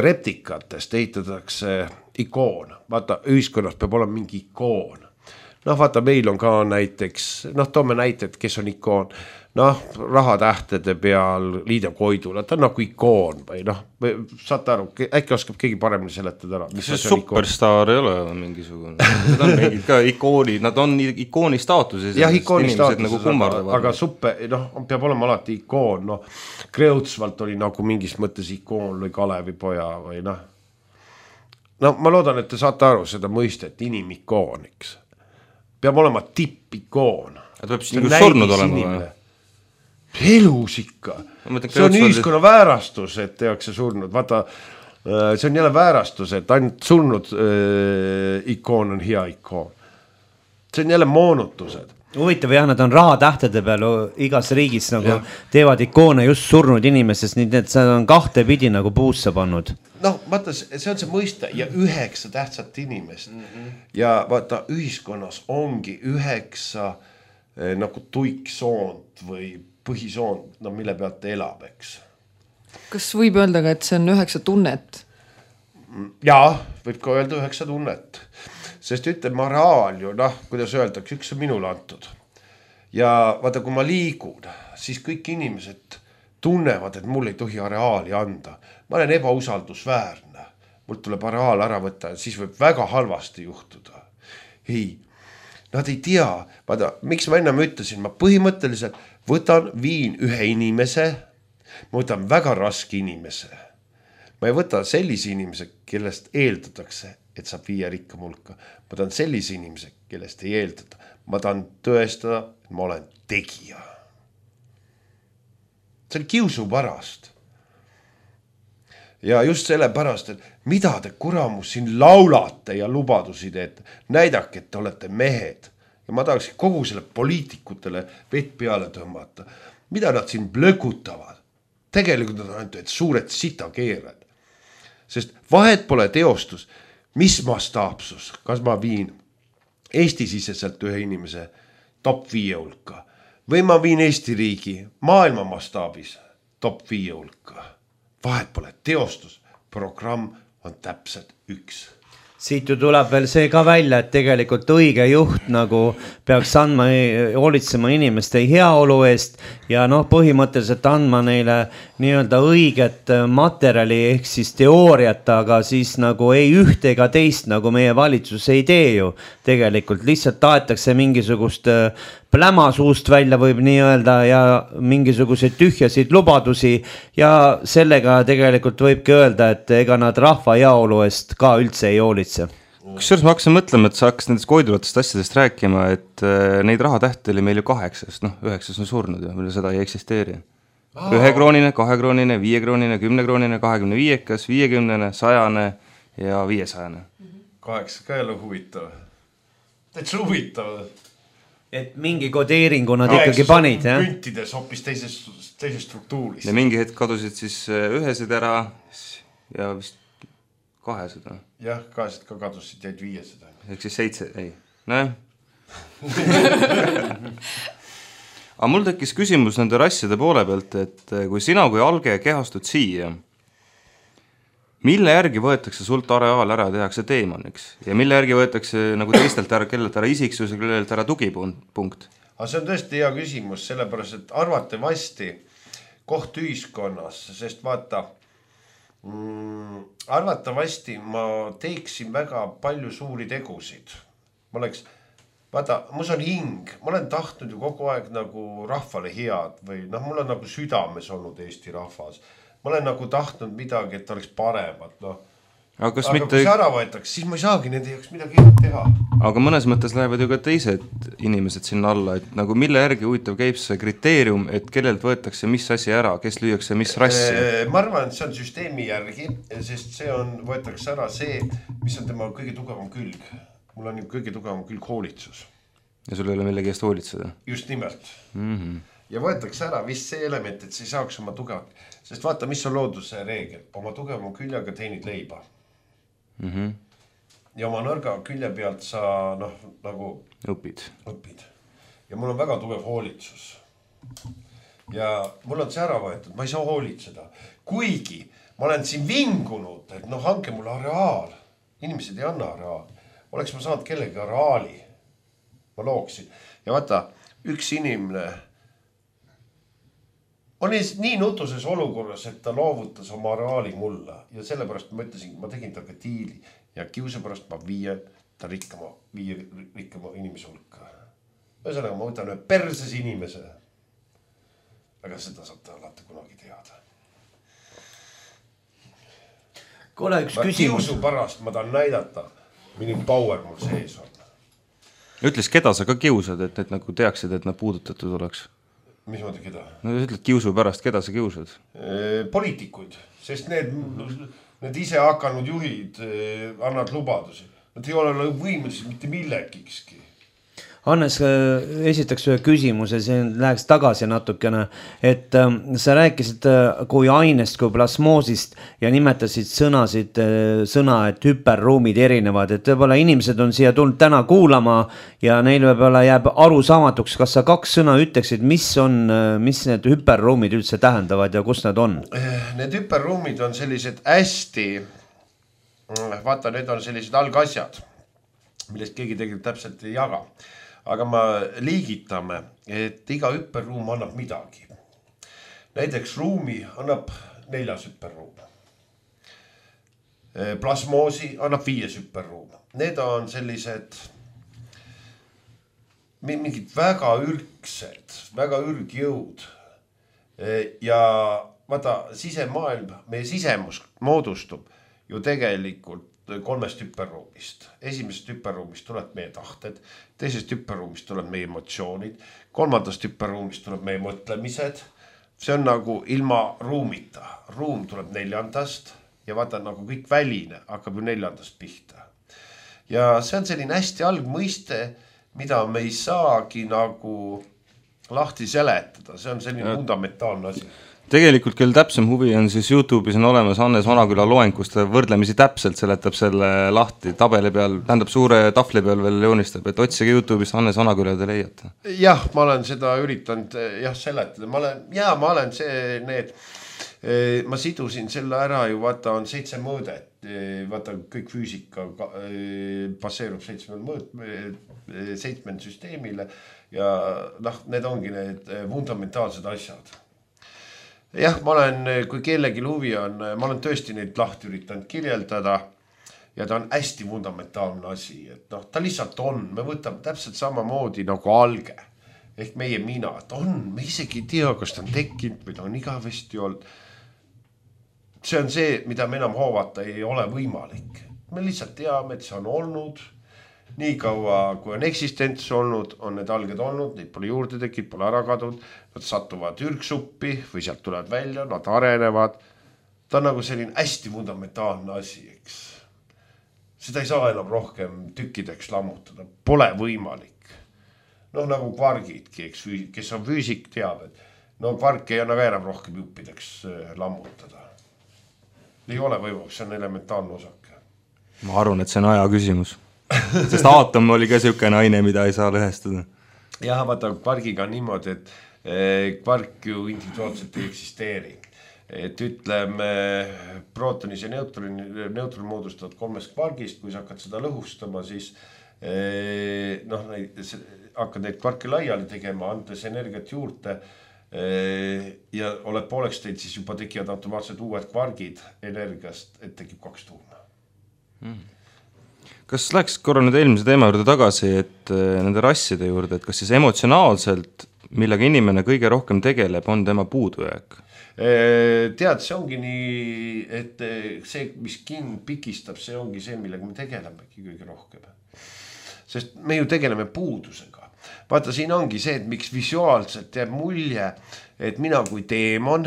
reptikatest ehitatakse ikoon, vaata ühiskonnas peab olema mingi ikoon. Noh, vaata, meil on ka näiteks, noh, toome näited, kes on ikoon, noh, rahatähtede peal Liidia Koidula, ta on nagu ikoon või noh, saate aru, äkki oskab keegi paremini seletada ära. See superstaar ei ole mingisugune, nad on mingid ka ikooni, nad on ikooni staatuses. Jah, ikooni staatuses, nagu aga peab olema alati ikoon, noh, Kreutzwald oli nagu mingis mõttes ikoon või Kalevipoja või noh. No ma loodan, et te saate aru seda mõistet, inimikoon, eks. Peab olema tippikoon. Ta peab siis nagu surnud olema või? Elus ikka. See on ühiskonna väärastus, et tehakse surnud. Vaata, see on jälle väärastus, et ainult surnud ikoon on hea ikoon. See on jälle moonutused. Huvitav jah, nad on rahatähtede peal igas riigis nagu teevad ikoone just surnud inimesest, nii et see on kahte pidi nagu puusse pannud. Noh, vaata, see on see mõiste ja 9 tähtsat inimest ja vaata, ühiskonnas ongi 9 nagu tuiksoont või põhisoont, no mille pealt elab, eks. Kas võib öelda ka, et see on 9 tunnet? Jaa, võib ka öelda 9 tunnet. Sest ütleme, areaal ju, noh, kuidas öeldakse, üks on minule antud. Ja vaata, kui ma liigun, siis kõik inimesed tunnevad, et mul ei tohi areaali anda. Ma olen ebausaldusväärne. Mul tuleb areaal ära võtta, siis võib väga halvasti juhtuda. Ei, nad ei tea. Vaata, miks ma enne ütlesin, ma põhimõtteliselt viin ühe inimese, ma võtan väga raske inimese. Ma ei võta sellise inimese, kellest eeldatakse, et saab viia rikka mulka. Ma tahan sellise inimese, kellest ei eeldada. Ma tahan tõestada, et ma olen tegija. See on kiusu pärast. Ja just selle pärast, et mida te kuramus siin laulate ja lubadusi teete, näidake, et te olete mehed. Ja ma tahaks kogu selle poliitikutele vett peale tõmmata. Mida nad siin blökutavad? Tegelikult nad on ainult suured sitakeered. Sest vahet pole teostus, mis mastaapsus, kas ma viin Eesti-siseselt ühe inimese top 5 hulka või ma viin Eesti riigi maailma mastaabis top 5 hulka. Vahet pole teostus, programm on täpselt üks. Siit ju tuleb veel see ka välja, et tegelikult õige juht nagu peaks andma, hoolitsema inimeste heaolu eest ja noh, põhimõtteliselt andma neile nii-öelda õiget materjali ehk siis teooriat, aga siis nagu ei ühte ega teist nagu meie valitsus ei tee ju. Tegelikult lihtsalt taetakse mingisugust pläma suust välja võib nii öelda ja mingisuguseid tühjasid lubadusi ja sellega tegelikult võibki öelda, et ega nad rahva heaolu eest ka üldse ei hoolitse. Kusjuures ma hakkasin mõtlema, et sa hakkas nendest koidulatest asjadest rääkima, et neid rahatähti oli meil ju 8, noh 9 on surnud ja meil seda ei eksisteeri. 1 kroonine, 2 kroonine, 5 kroonine, 10 kroonine, 25, 50, 100 ja 500. 8 ka jälle huvitav. Täitsa huvitav. Et mingi kodeeringu nad ikkagi panid, jah? Püntides hoopis teises struktuuris. Ja mingi hetk kadusid siis 1 ära ja vist 200. Jah, 2 ka kadusid, jäid 500. Ehk siis 7, ei. Näe. Aga mul tekkis küsimus nende rasside poole pealt, et kui sina kui alge kehastud siia, mille järgi võetakse sult areaal ära ja tehakse teemaniks? Ja mille järgi võetakse nagu teistelt ära, kellelt ära isiksus ja kellelt ära tugipunkt? Aga see on tõesti hea küsimus, sellepärast, et arvatavasti koht ühiskonnas, sest vaata, arvatavasti ma teeksin väga palju suuri tegusid. Ma oleks, vaata, mus on hing, ma olen tahtnud ju kogu aeg nagu rahvale head või noh, mul on nagu südames olnud Eesti rahvas. Ma olen nagu tahtnud midagi, et oleks paremat, noh. Aga mitte... kui see ära võetaks, siis ma ei saagi nende jaoks midagi teha. Aga mõnes mõttes lähevad ju ka teised inimesed sinna alla, et nagu mille järgi huvitav käib see kriteerium, et kellelt võetakse mis asi ära, kes lüüakse mis rassi? Ma arvan, et see on süsteemi järgi, sest see on, võetakse ära see, mis on tema kõige tugevam külg. Mul on ju kõige tugevam külg hoolitsus. Ja sul ei ole millegi eest hoolitseda? Just nimelt. Ja võetakse ära vist see element, et see ei saaks oma tugevat. Sest vaata, mis on looduse reegel. Oma tugevam küljega teenid leiba. Ja oma nõrga külje pealt sa nagu õpid. Ja mul on väga tugev hoolitsus. Ja mul on see ära võetud, ma ei saa hoolitseda. Kuigi ma olen siin vingunud, et noh, hanke mulle areaal. Inimesed ei anna areaali. Oleks ma saanud kellegi areaali. Ma looksin. Ja vaata, üks inimene on nii nutuses olukorras, et ta loovutas oma areaali mulle. Ja sellepärast ma ütlesin, ma tegin taga diili ja kiuse pärast ma viien ta rikkama inimese hulka. Ühesõnaga, ma võtan ühe perses inimese. Aga seda saab ta alati kunagi teada. Kuule, üks küsimus. Kiusu pärast ma tahan näidata, milline power mul sees on. Ütles, keda sa ka kiusad, et nagu teaksid, et nad puudutatud oleks? Mis mõte keda? No ütled kiusu pärast, keda sa kiusad? Poliitikuid, sest need ise hakanud juhid annavad lubadusi. Nad ei ole võimelised mitte millegikski. Hannes, esitaks ühe küsimuse, see läheks tagasi natukene, et sa rääkisid kui ainest, kui plasmoosist ja nimetasid sõna, et hüperruumid erinevad, et võib-olla inimesed on siia tulnud täna kuulama ja neil võib-olla jääb arusaamatuks, kas sa 2 sõna ütleksid, mis need hüperruumid üldse tähendavad ja kus nad on? Need hüperruumid on sellised hästi, vaata, need on sellised algasjad, millest keegi tegelikult täpselt ei jaga. Aga me liigitame, et iga hüperruum annab midagi. Näiteks ruumi annab 4 hüperruum. Plasmoosi annab 5 hüperruum. Need on sellised mingid väga ürgsed, väga ürgjõud. Ja vaata, sisemaailm, meie sisemus moodustub ju tegelikult 3 hüperruumist. Esimesest hüperruumist tuleb meie tahted, teisest hüperruumist tuleb meie emotsioonid, 3. hüperruumist tuleb meie mõtlemised. See on nagu ilma ruumita. Ruum tuleb 4. ja vaata nagu kõik väline hakkab ju 4. pihta. Ja see on selline hästi algmõiste, mida me ei saagi nagu lahti seletada. See on selline fundamentaalne asi. Tegelikult küll täpsem huvi on siis YouTube'is on olemas Hannes Vanaküla loeng, kus ta võrdlemisi täpselt seletab selle lahti tabeli peal, tähendab suure tafli peal veel joonistab, et otsige YouTube'is Hannes Vanaküla te leiate. Jah, ma olen seda üritanud seletada. Ma olen ma sidusin selle ära ju, vaata on 7 mõõdet, vaata kõik füüsika baseerub 7 süsteemile ja need ongi need fundamentaalsed asjad. Jah, ma olen, kui kellelgi huvi on, ma olen tõesti neid lahti üritanud kirjeldada ja ta on hästi fundamentaalne asi, et ta lihtsalt on, me võtame täpselt samamoodi nagu alge ehk meie mina, et me isegi ei tea, kas ta on tekkinud või ta on igavesti olnud. See on see, mida me enam hoovata ei ole võimalik. Me lihtsalt teame, et see on olnud. Nii kaua, kui on eksistents olnud, on need alged olnud, neid pole juurde tekkinud, pole ära kadunud, nad satuvad ürgsuppi või sealt tulevad välja, nad arenevad. Ta on nagu selline hästi fundamentaalne asi, eks. Seda ei saa enam rohkem tükkideks lammutada, pole võimalik. Nagu kvargidki, eks, kes on füüsik teab, et kvark ei anna ka enam rohkem juppideks lammutada. Ei ole võimalik, see on elementaarne osake. Ma arvan, et see on aja küsimus. Sest aatom oli ka selline aine, mida ei saa lõhestada. Jah, vaata kvargiga on niimoodi, et kvark ju individuaalselt ei eksisteeri. Et ütleme, prootonis ja neutron moodustavad 3 kvargist, kui sa hakkad seda lõhustama, siis hakkad neid kvarke laiali tegema, andes energiat juurde ja oled pooleks teid, siis juba tekivad automaatselt uued kvargid energiast, et tekib 2 tuuma. Kas läheks korra nüüd eelmise teema juurde tagasi, et nende rasside juurde, et kas siis emotsionaalselt, millega inimene kõige rohkem tegeleb, on tema puudujääk? Tead, see ongi nii, et see, mis pikistab, see ongi see, millega me tegelemegi kõige rohkem. Sest me ju tegeleme puudusega. Vaata, siin ongi see, et miks visuaalselt jääb mulje, et mina kui teemon,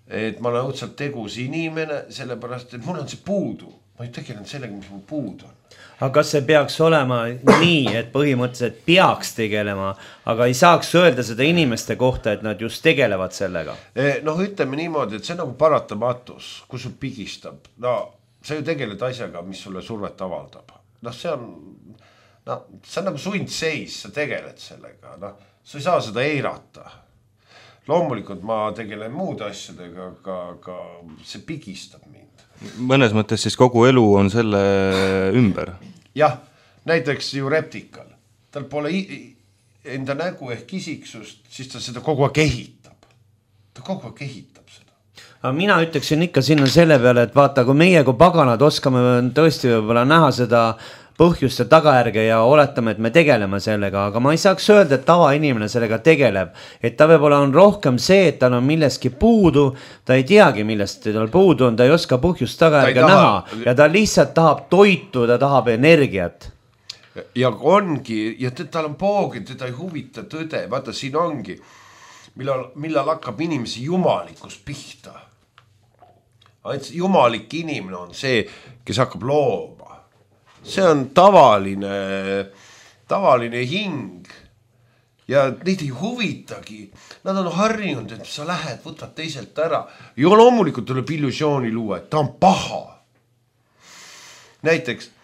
et ma olen õudselt tegus inimene, sellepärast, et mul on see puudu. Ma ei tegelen sellega, mis mul puud on. Aga kas see peaks olema nii, et põhimõtteliselt peaks tegelema, aga ei saaks öelda seda inimeste kohta, et nad just tegelevad sellega? Ütleme niimoodi, et see on nagu paratamatus, kus sul pigistab. Sa ju tegeled asjaga, mis sulle survet avaldab. See on nagu sundseis, sa tegeled sellega. Sa ei saa seda eirata. loomulikult ma tegelen muude asjadega, aga see pigistab mind. Mõnes mõttes siis kogu elu on selle ümber? Jah, näiteks ju reptikal. Tal pole enda nägu ehk isiksust, siis ta seda kogu aeg ehitab. Ta kogu aeg ehitab seda. Aga mina ütleksin ikka sinna selle peale, et vaata, kui meie kui paganad oskame tõesti võib-olla näha seda põhjust ja tagajärge ja oletame, et me tegeleme sellega, aga ma ei saaks öelda, et tavainimene sellega tegeleb, et ta võib-olla on rohkem see, et tal on millestki puudu, ta ei teagi, millest tal puudu on, ta ei oska põhjust tagajärge näha ja ta lihtsalt tahab toitu, ta tahab energiat. Ja ongi, ja tal on poogid, teda ei huvita tõde, vaata siin ongi, millal hakkab inimese jumalikus pihta. Ainult jumalik inimene on see, kes hakkab looma. See on tavaline hing ja neid ei huvitagi. Nad on harjunud, et sa lähed, võtad teiselt ära. Ja loomulikult tuleb illusiooni luua, et ta on paha. Näiteks,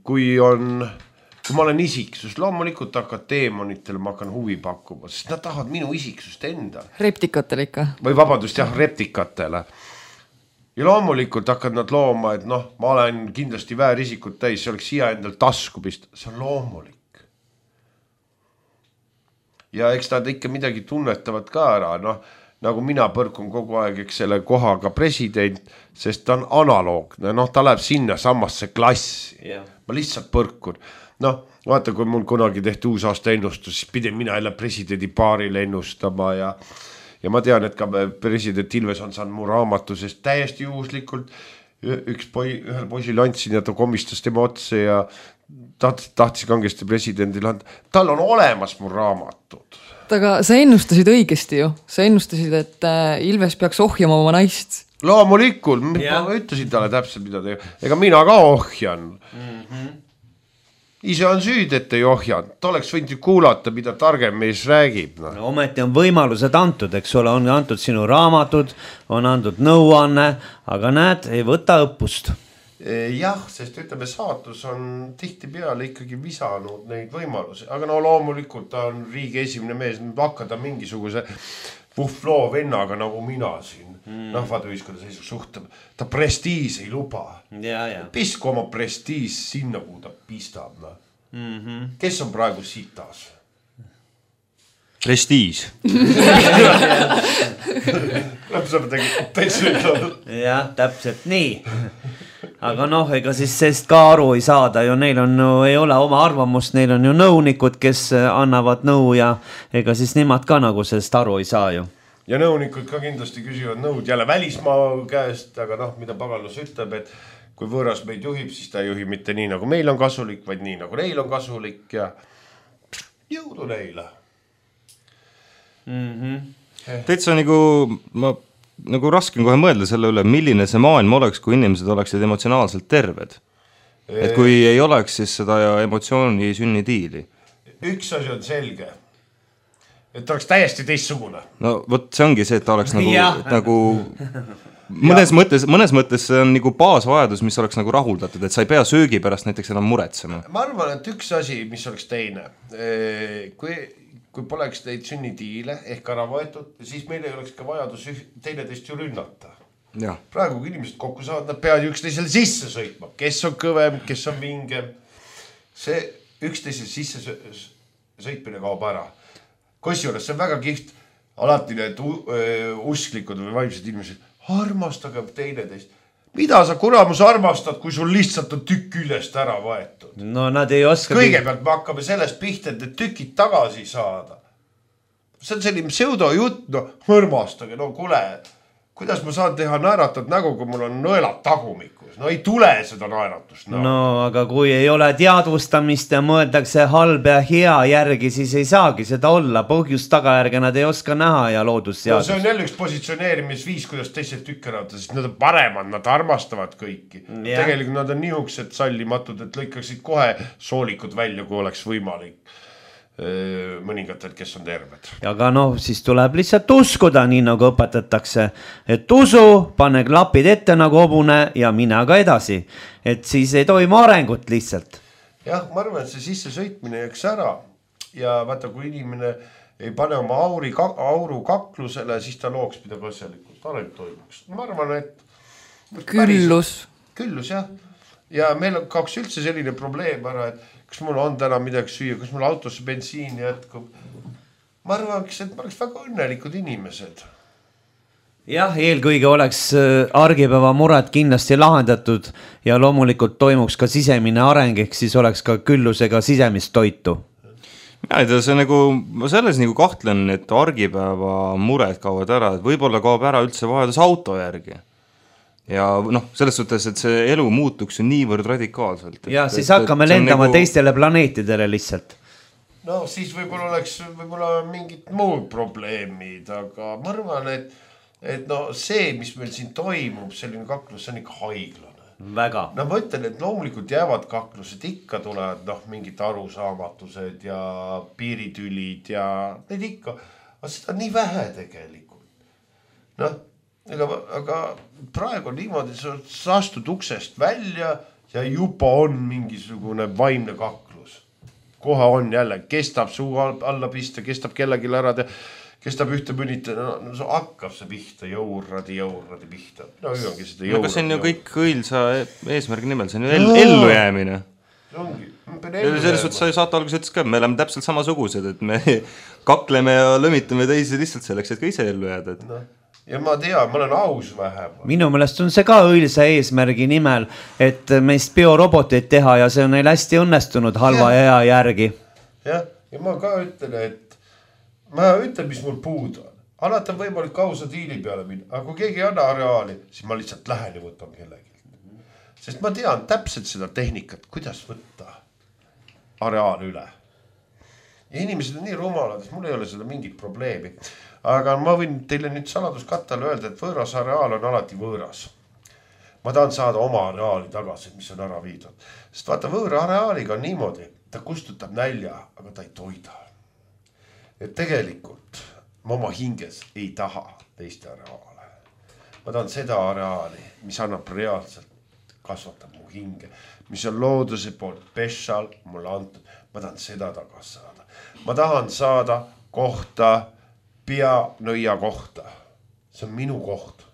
kui ma olen isiksus, loomulikult hakkad teemonitele, ma hakkan huvi pakkuma, sest nad tahavad minu isiksust enda. Reptikatele ikka. Või vabandust, jah, reptikatele. Ja loomulikult hakkad nad looma, et noh, ma olen kindlasti väärisikut täis, see oleks siia endal tasku pista. See on loomulik. Ja eks nad ikka midagi tunnetavad ka ära, noh, nagu mina põrkun kogu aeg, eks selle kohaga president, sest ta on analoogne, noh, ta läheb sinna samasse klassi. Yeah. Ma lihtsalt põrkun. Noh, vaata, kui mul kunagi tehti uusaasta ennustus, siis pidin mina jälle presidendi paarile ennustama ja ma tean, et ka president Ilves on saanud mu raamatu, sest täiesti juhuslikult ühel poisil andsin ja ta komistas tema otse ja tahtis kangesti presidendile anda. Tal on olemas mu raamatud. Aga sa ennustasid õigesti ju. Sa ennustasid, et Ilves peaks ohjama oma naist. Loomulikult, ma ütlesin talle täpselt, mida teha. Ega mina ka ohjan. Ise on süüd, et ei ohjanud. Ta oleks võinud kuulata, mida targem mees räägib. No, ometi on võimalused antud, eks ole, on antud sinu raamatud, on antud nõuanne, aga näed, ei võta õppust. Jah, sest ütleme, saatus on tihti peale ikkagi visanud neid võimalusi, aga no loomulikult ta on riigi esimene mees, hakkada mingisuguse puhvloo vennaga nagu mina siin. Rahvadühiskonda seisuk suhtab, ta prestiis ei luba. Pisku oma prestiis sinna, kuhu ta pistab. Kes on praegu sitas? Prestiis. Jah, täpselt nii. Aga noh, ega siis sest ka aru ei saada ju, neil on, ei ole oma arvamust, neil on ju nõunikud, kes annavad nõu ja ega siis nemad ka nagu sest aru ei saa ju. Ja nõunikud ka kindlasti küsivad nõud jälle välismaa käest, aga noh, mida pagalus ütleb, et kui võõras meid juhib, siis ta ei juhi mitte nii, nagu meil on kasulik, vaid nii, nagu neil on kasulik ja jõudu neile. Täitsa nagu raske on kohe mõelda selle üle, milline see maailm oleks, kui inimesed oleksid emotsionaalselt terved. Et kui ei oleks siis seda emotsiooni sünnitiili. Üks asi on selge. Et ta oleks täiesti teistsugune. No võt, see ongi see, et ta oleks nagu mõnes mõttes see on nagu baasvajadus, mis oleks nagu rahuldatud, et sa ei pea söögi pärast näiteks enam muretsema. Ma arvan, et üks asi, mis oleks teine, kui poleks neid sünnitiile ehk ära võetud, siis meil ei oleks ka vajadus teineteist ju rünnata. Ja. Praegu kui inimesed kokku saavad, nad peavad üksteisele sisse sõitma, kes on kõvem, kes on vingem. See üksteisele sisse sõitmine kaob ära. Kusjuures see on väga kiht, alati need usklikud või vaimsed inimesed, armastage teineteist. Mida sa kuramus armastad, kui sul lihtsalt on tükk küljest ära võetud? No nad ei oska... Kõigepealt me hakkame sellest pihta, et tükid tagasi saada. See on selline pseudojutt, no armastage, no kule, kuidas ma saan teha naeratud nägu, kui mul on nõelad tagumikus? No ei tule seda naeratust. No aga kui ei ole teadvustamist ja mõeldakse halb ja hea järgi, siis ei saagi seda olla. Põhjust tagajärge nad ei oska näha ja loodusseadus. No see on jälle üks positsioneerimisviis, kuidas teised tükkeravad, sest nad on paremad, nad armastavad kõiki. Ja. Tegelikult nad on niisugused sallimatud, et lõikaksid kohe soolikud välja, kui oleks võimalik. Mõningatelt, kes on terved. Aga noh, siis tuleb lihtsalt uskuda, nii nagu õpetatakse, et usu, pane klapid ette nagu hobune ja mine aga edasi, et siis ei toimu arengut lihtsalt. Jah, ma arvan, et see sisse sõitmine jääks ära ja vaata, kui inimene ei pane oma auru kaklusele, siis ta looks midagi asjalikult, areng toimuks. Ma arvan, et Küllus jah. Ja meil kaoks üldse selline probleem ära, et kas mul on täna midagi süüa, kas mul autosse bensiini jätkub. Ma arvaks, et ma oleks väga õnnelikud inimesed. Jah, eelkõige oleks argipäeva mured kindlasti lahendatud ja loomulikult toimuks ka sisemine areng, ehk siis oleks ka küllusega sisemist toitu. Ja, see nagu, ma selles nagu kahtlen, et argipäeva mured kaovad ära, et võib-olla kaob ära üldse vajadus auto järgi. Ja selles suhtes, et see elu muutuks niivõrd radikaalselt. Ja siis hakkame lendama teistele planeetidele lihtsalt. No siis võib-olla mingid muud probleemid, aga ma arvan, et see, mis meil siin toimub, selline kaklus, see on ikka haiglane. Väga. Ma ütlen, et loomulikult jäävad kaklused, ikka tulevad mingid arusaamatused ja piiritülid ja need ikka, aga seda on nii vähe tegelikult. Aga praegu niimoodi, sa astud uksest välja ja juba on mingisugune vaimne kaklus. Kohe on jälle, kestab suu alla pista, kestab kellelgi ära, kestab ühte mõnita, hakkab see pihta, jõurradi pihta. Aga see on ju kõik õilsa eesmärgi nimel, see on ju ellu jäämine. Selles suhtes sa saate alguses ütles ka, me oleme täpselt samasugused, et me kakleme ja lõmitame teisi lihtsalt selleks, et ka ise ellu jääda. Ja ma tean, ma olen aus vähemalt. Minu meelest on see ka õilsa eesmärgi nimel, et meist bioroboteid teha ja see on neil hästi õnnestunud halva ea järgi. Ja ma ka ütlen, mis mul puud on. Alati on võimalik ausa diili peale minna, aga kui keegi ei anna areaali, siis ma lihtsalt lähen ja võtan kellegi. Sest ma tean täpselt seda tehnikat, kuidas võtta areaali üle. Ja inimesed on nii rumalad, et mul ei ole seda mingit probleemi. Aga ma võin teile nüüd saladuskattel öelda, et võõras areaal on alati võõras. Ma tahan saada oma areaali tagasi, mis on ära viidud. Sest vaata, võõra areaaliga on niimoodi, ta kustutab nälja, aga ta ei toida. Et tegelikult ma oma hinges ei taha teiste areaale. Ma tahan seda areaali, mis annab reaalselt kasvatab mu hinge, mis on looduse poolt special mulle antud. Ma tahan seda tagasi saada. Ma tahan saada kohta nõia kohta. See on minu koht.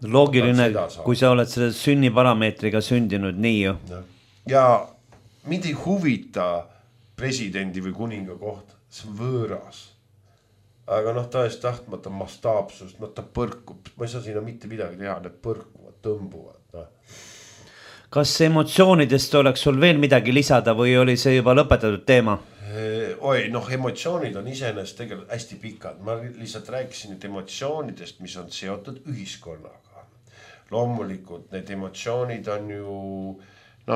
Loogiline, kui sa oled selle sünniparameetriga sündinud nii ju. Ja mind ei huvita presidendi või kuninga koht. See on võõras. Aga tõest tahtmata mastaapsust, ta põrkub. Ma ei saa sinna mitte midagi teha, need põrkuvad, tõmbuvad. Kas emotsioonidest oleks sul veel midagi lisada või oli see juba lõpetatud teema? Emotsioonid on iseenesest tegelikult hästi pikad. Ma lihtsalt rääkisin nüüd emotsioonidest, mis on seotud ühiskonnaga. Loomulikult need emotsioonid on ju,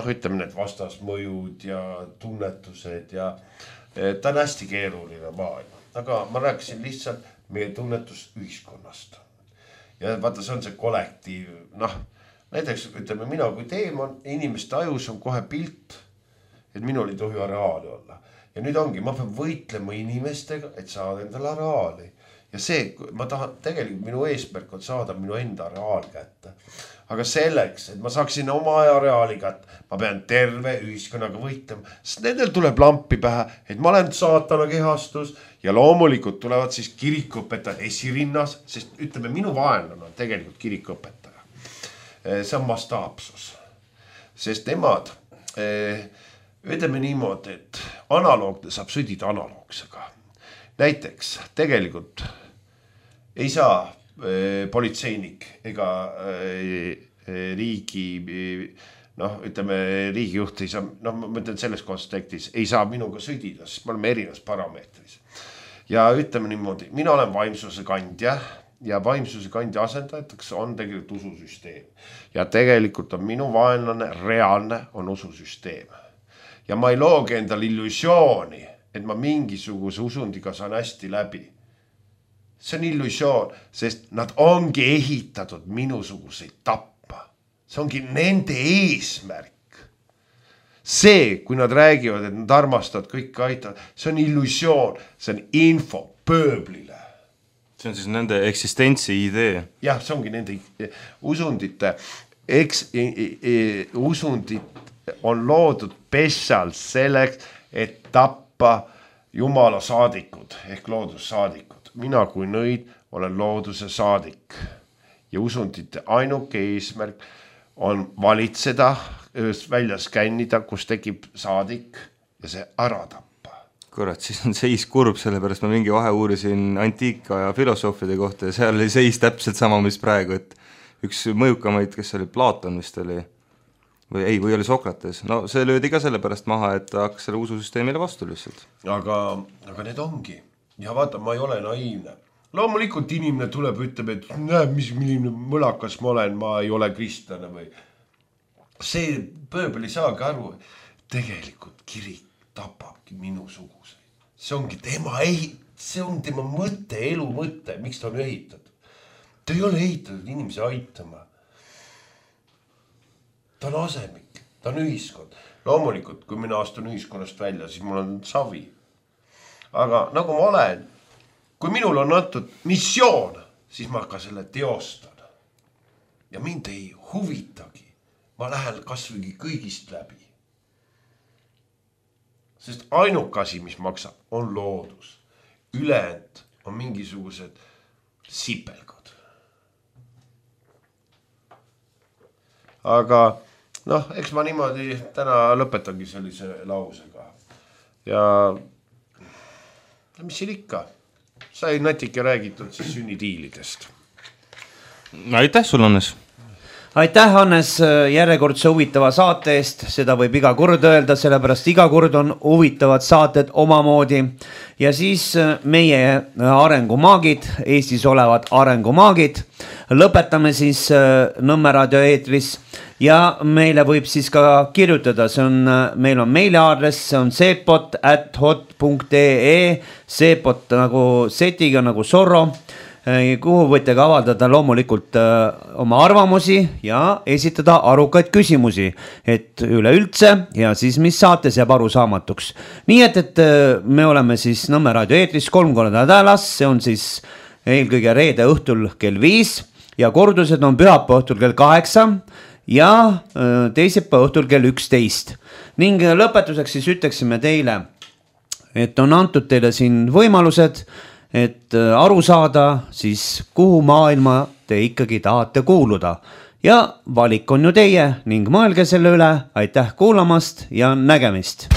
ütleme need vastasmõjud ja tunnetused ja ta on hästi keeruline maailm. Aga ma rääkisin lihtsalt meie tunnetus ühiskonnast. Ja vaata, see on see kollektiiv. Näiteks ütleme mina kui teemon, inimeste ajus on kohe pilt, et minul ei tohi areaali olla. Ja nüüd ongi, ma pean võitlema inimestega, et saada endale areaali. Ja see, ma tahan, tegelikult minu eesmärk on saada minu enda areaal kätte. Aga selleks, et ma saaksin oma areaali kätte, ma pean terve ühiskonnaga võitlema. Sest nendel tuleb lampi pähe, et ma olen saatana kehastus ja loomulikult tulevad siis kirikuõpetajad esirinnas, sest ütleme, minu vaenlane on tegelikult kirikuõpetaja. See on mastaapsus. Sest nemad ütleme niimoodi, et analoogne saab sõdida analoogsega. Näiteks tegelikult ei saa politseinik ega riigijuht ei saa, ma mõtlen selles kontekstis, ei saa minuga sõdida, sest me oleme erinevas parameetris. Ja ütleme niimoodi, mina olen vaimsuse kandja ja vaimsuse kandja asendajateks on tegelikult ususüsteem. Ja tegelikult on minu vaenlane reaalne on ususüsteem. Ja ma ei loogi endal illusiooni, et ma mingisuguse usundiga saan hästi läbi. See on illusioon, sest nad ongi ehitatud minusuguseid tappa. See ongi nende eesmärk. See, kui nad räägivad, et nad armastavad kõike aitavad, see on illusioon, see on info pööblile. See on siis nende eksistentsi idee. Jah, see ongi nende usundite, usundid on loodud special selleks, et tappa jumala saadikud ehk loodussaadikud. Mina kui nõid olen looduse saadik ja usundite ainuke eesmärk on valitseda, välja skännida, kus tekib saadik ja see ära tappa. Kurat, siis on seis kurb, sellepärast ma mingi vahe uurisin antiika ja filosoofide kohta ja seal oli seis täpselt sama, mis praegu, et üks mõjukamaid, kes oli Platon vist oli, või oli Sokrates, no see löödi ka sellepärast maha, et ta hakkas selle ususüsteemile vastu lihtsalt. Aga need ongi. Ja vaata, ma ei ole naiivne. Loomulikult inimene tuleb, ütleb, et näeb, milline mõlakas ma olen, ma ei ole kristlane või. See pööbel ei saagi aru, tegelikult kirik tapabki minu suguseid. See ongi see on tema mõte, elu mõte, miks ta on ehitatud. Ta ei ole ehitatud inimese aitama. Ta on asemik, ta on ühiskond. Loomulikult, kui mina astun ühiskonnast välja, siis mul on savi. Aga nagu ma olen, kui minul on antud missioon, siis ma ka selle teostan. Ja mind ei huvitagi. Ma lähen kasvõi kõigist läbi. Sest ainuke asi, mis maksab, on loodus. Ülejäänud on mingisugused sipelgud. Aga eks ma niimoodi täna lõpetangi sellise lausega. Ja mis siin ikka? Sai natuke räägitud siis sünnitiilidest. Aitäh sul, Hannes! Aitäh, Hannes, järjekordse huvitava saate eest, seda võib iga kord öelda, sellepärast iga kord on huvitavad saated omamoodi. Ja siis meie arengumaagid, Eestis olevad arengumaagid, lõpetame siis Nõmme raadio eetris ja meile võib siis ka kirjutada, meil on meiliaadress, see on seepot@hot.ee, seepot nagu setiga nagu Zorro, kuhu võite ka avaldada loomulikult oma arvamusi ja esitada arukaid küsimusi, et üleüldse ja siis mis saates jääb arusaamatuks. Nii et me oleme siis Nõmme raadio eetris 3 korda nädalas, see on siis eelkõige reede õhtul kell 5 ja kordused on pühapäeva õhtul kell 8 ja teisipäeva õhtul kell 11. Ning lõpetuseks siis ütleksime teile, et on antud teile siin võimalused, et aru saada siis kuhu maailma te ikkagi tahate kuuluda ja valik on ju teie ning mõelge selle üle. Aitäh kuulamast ja nägemist!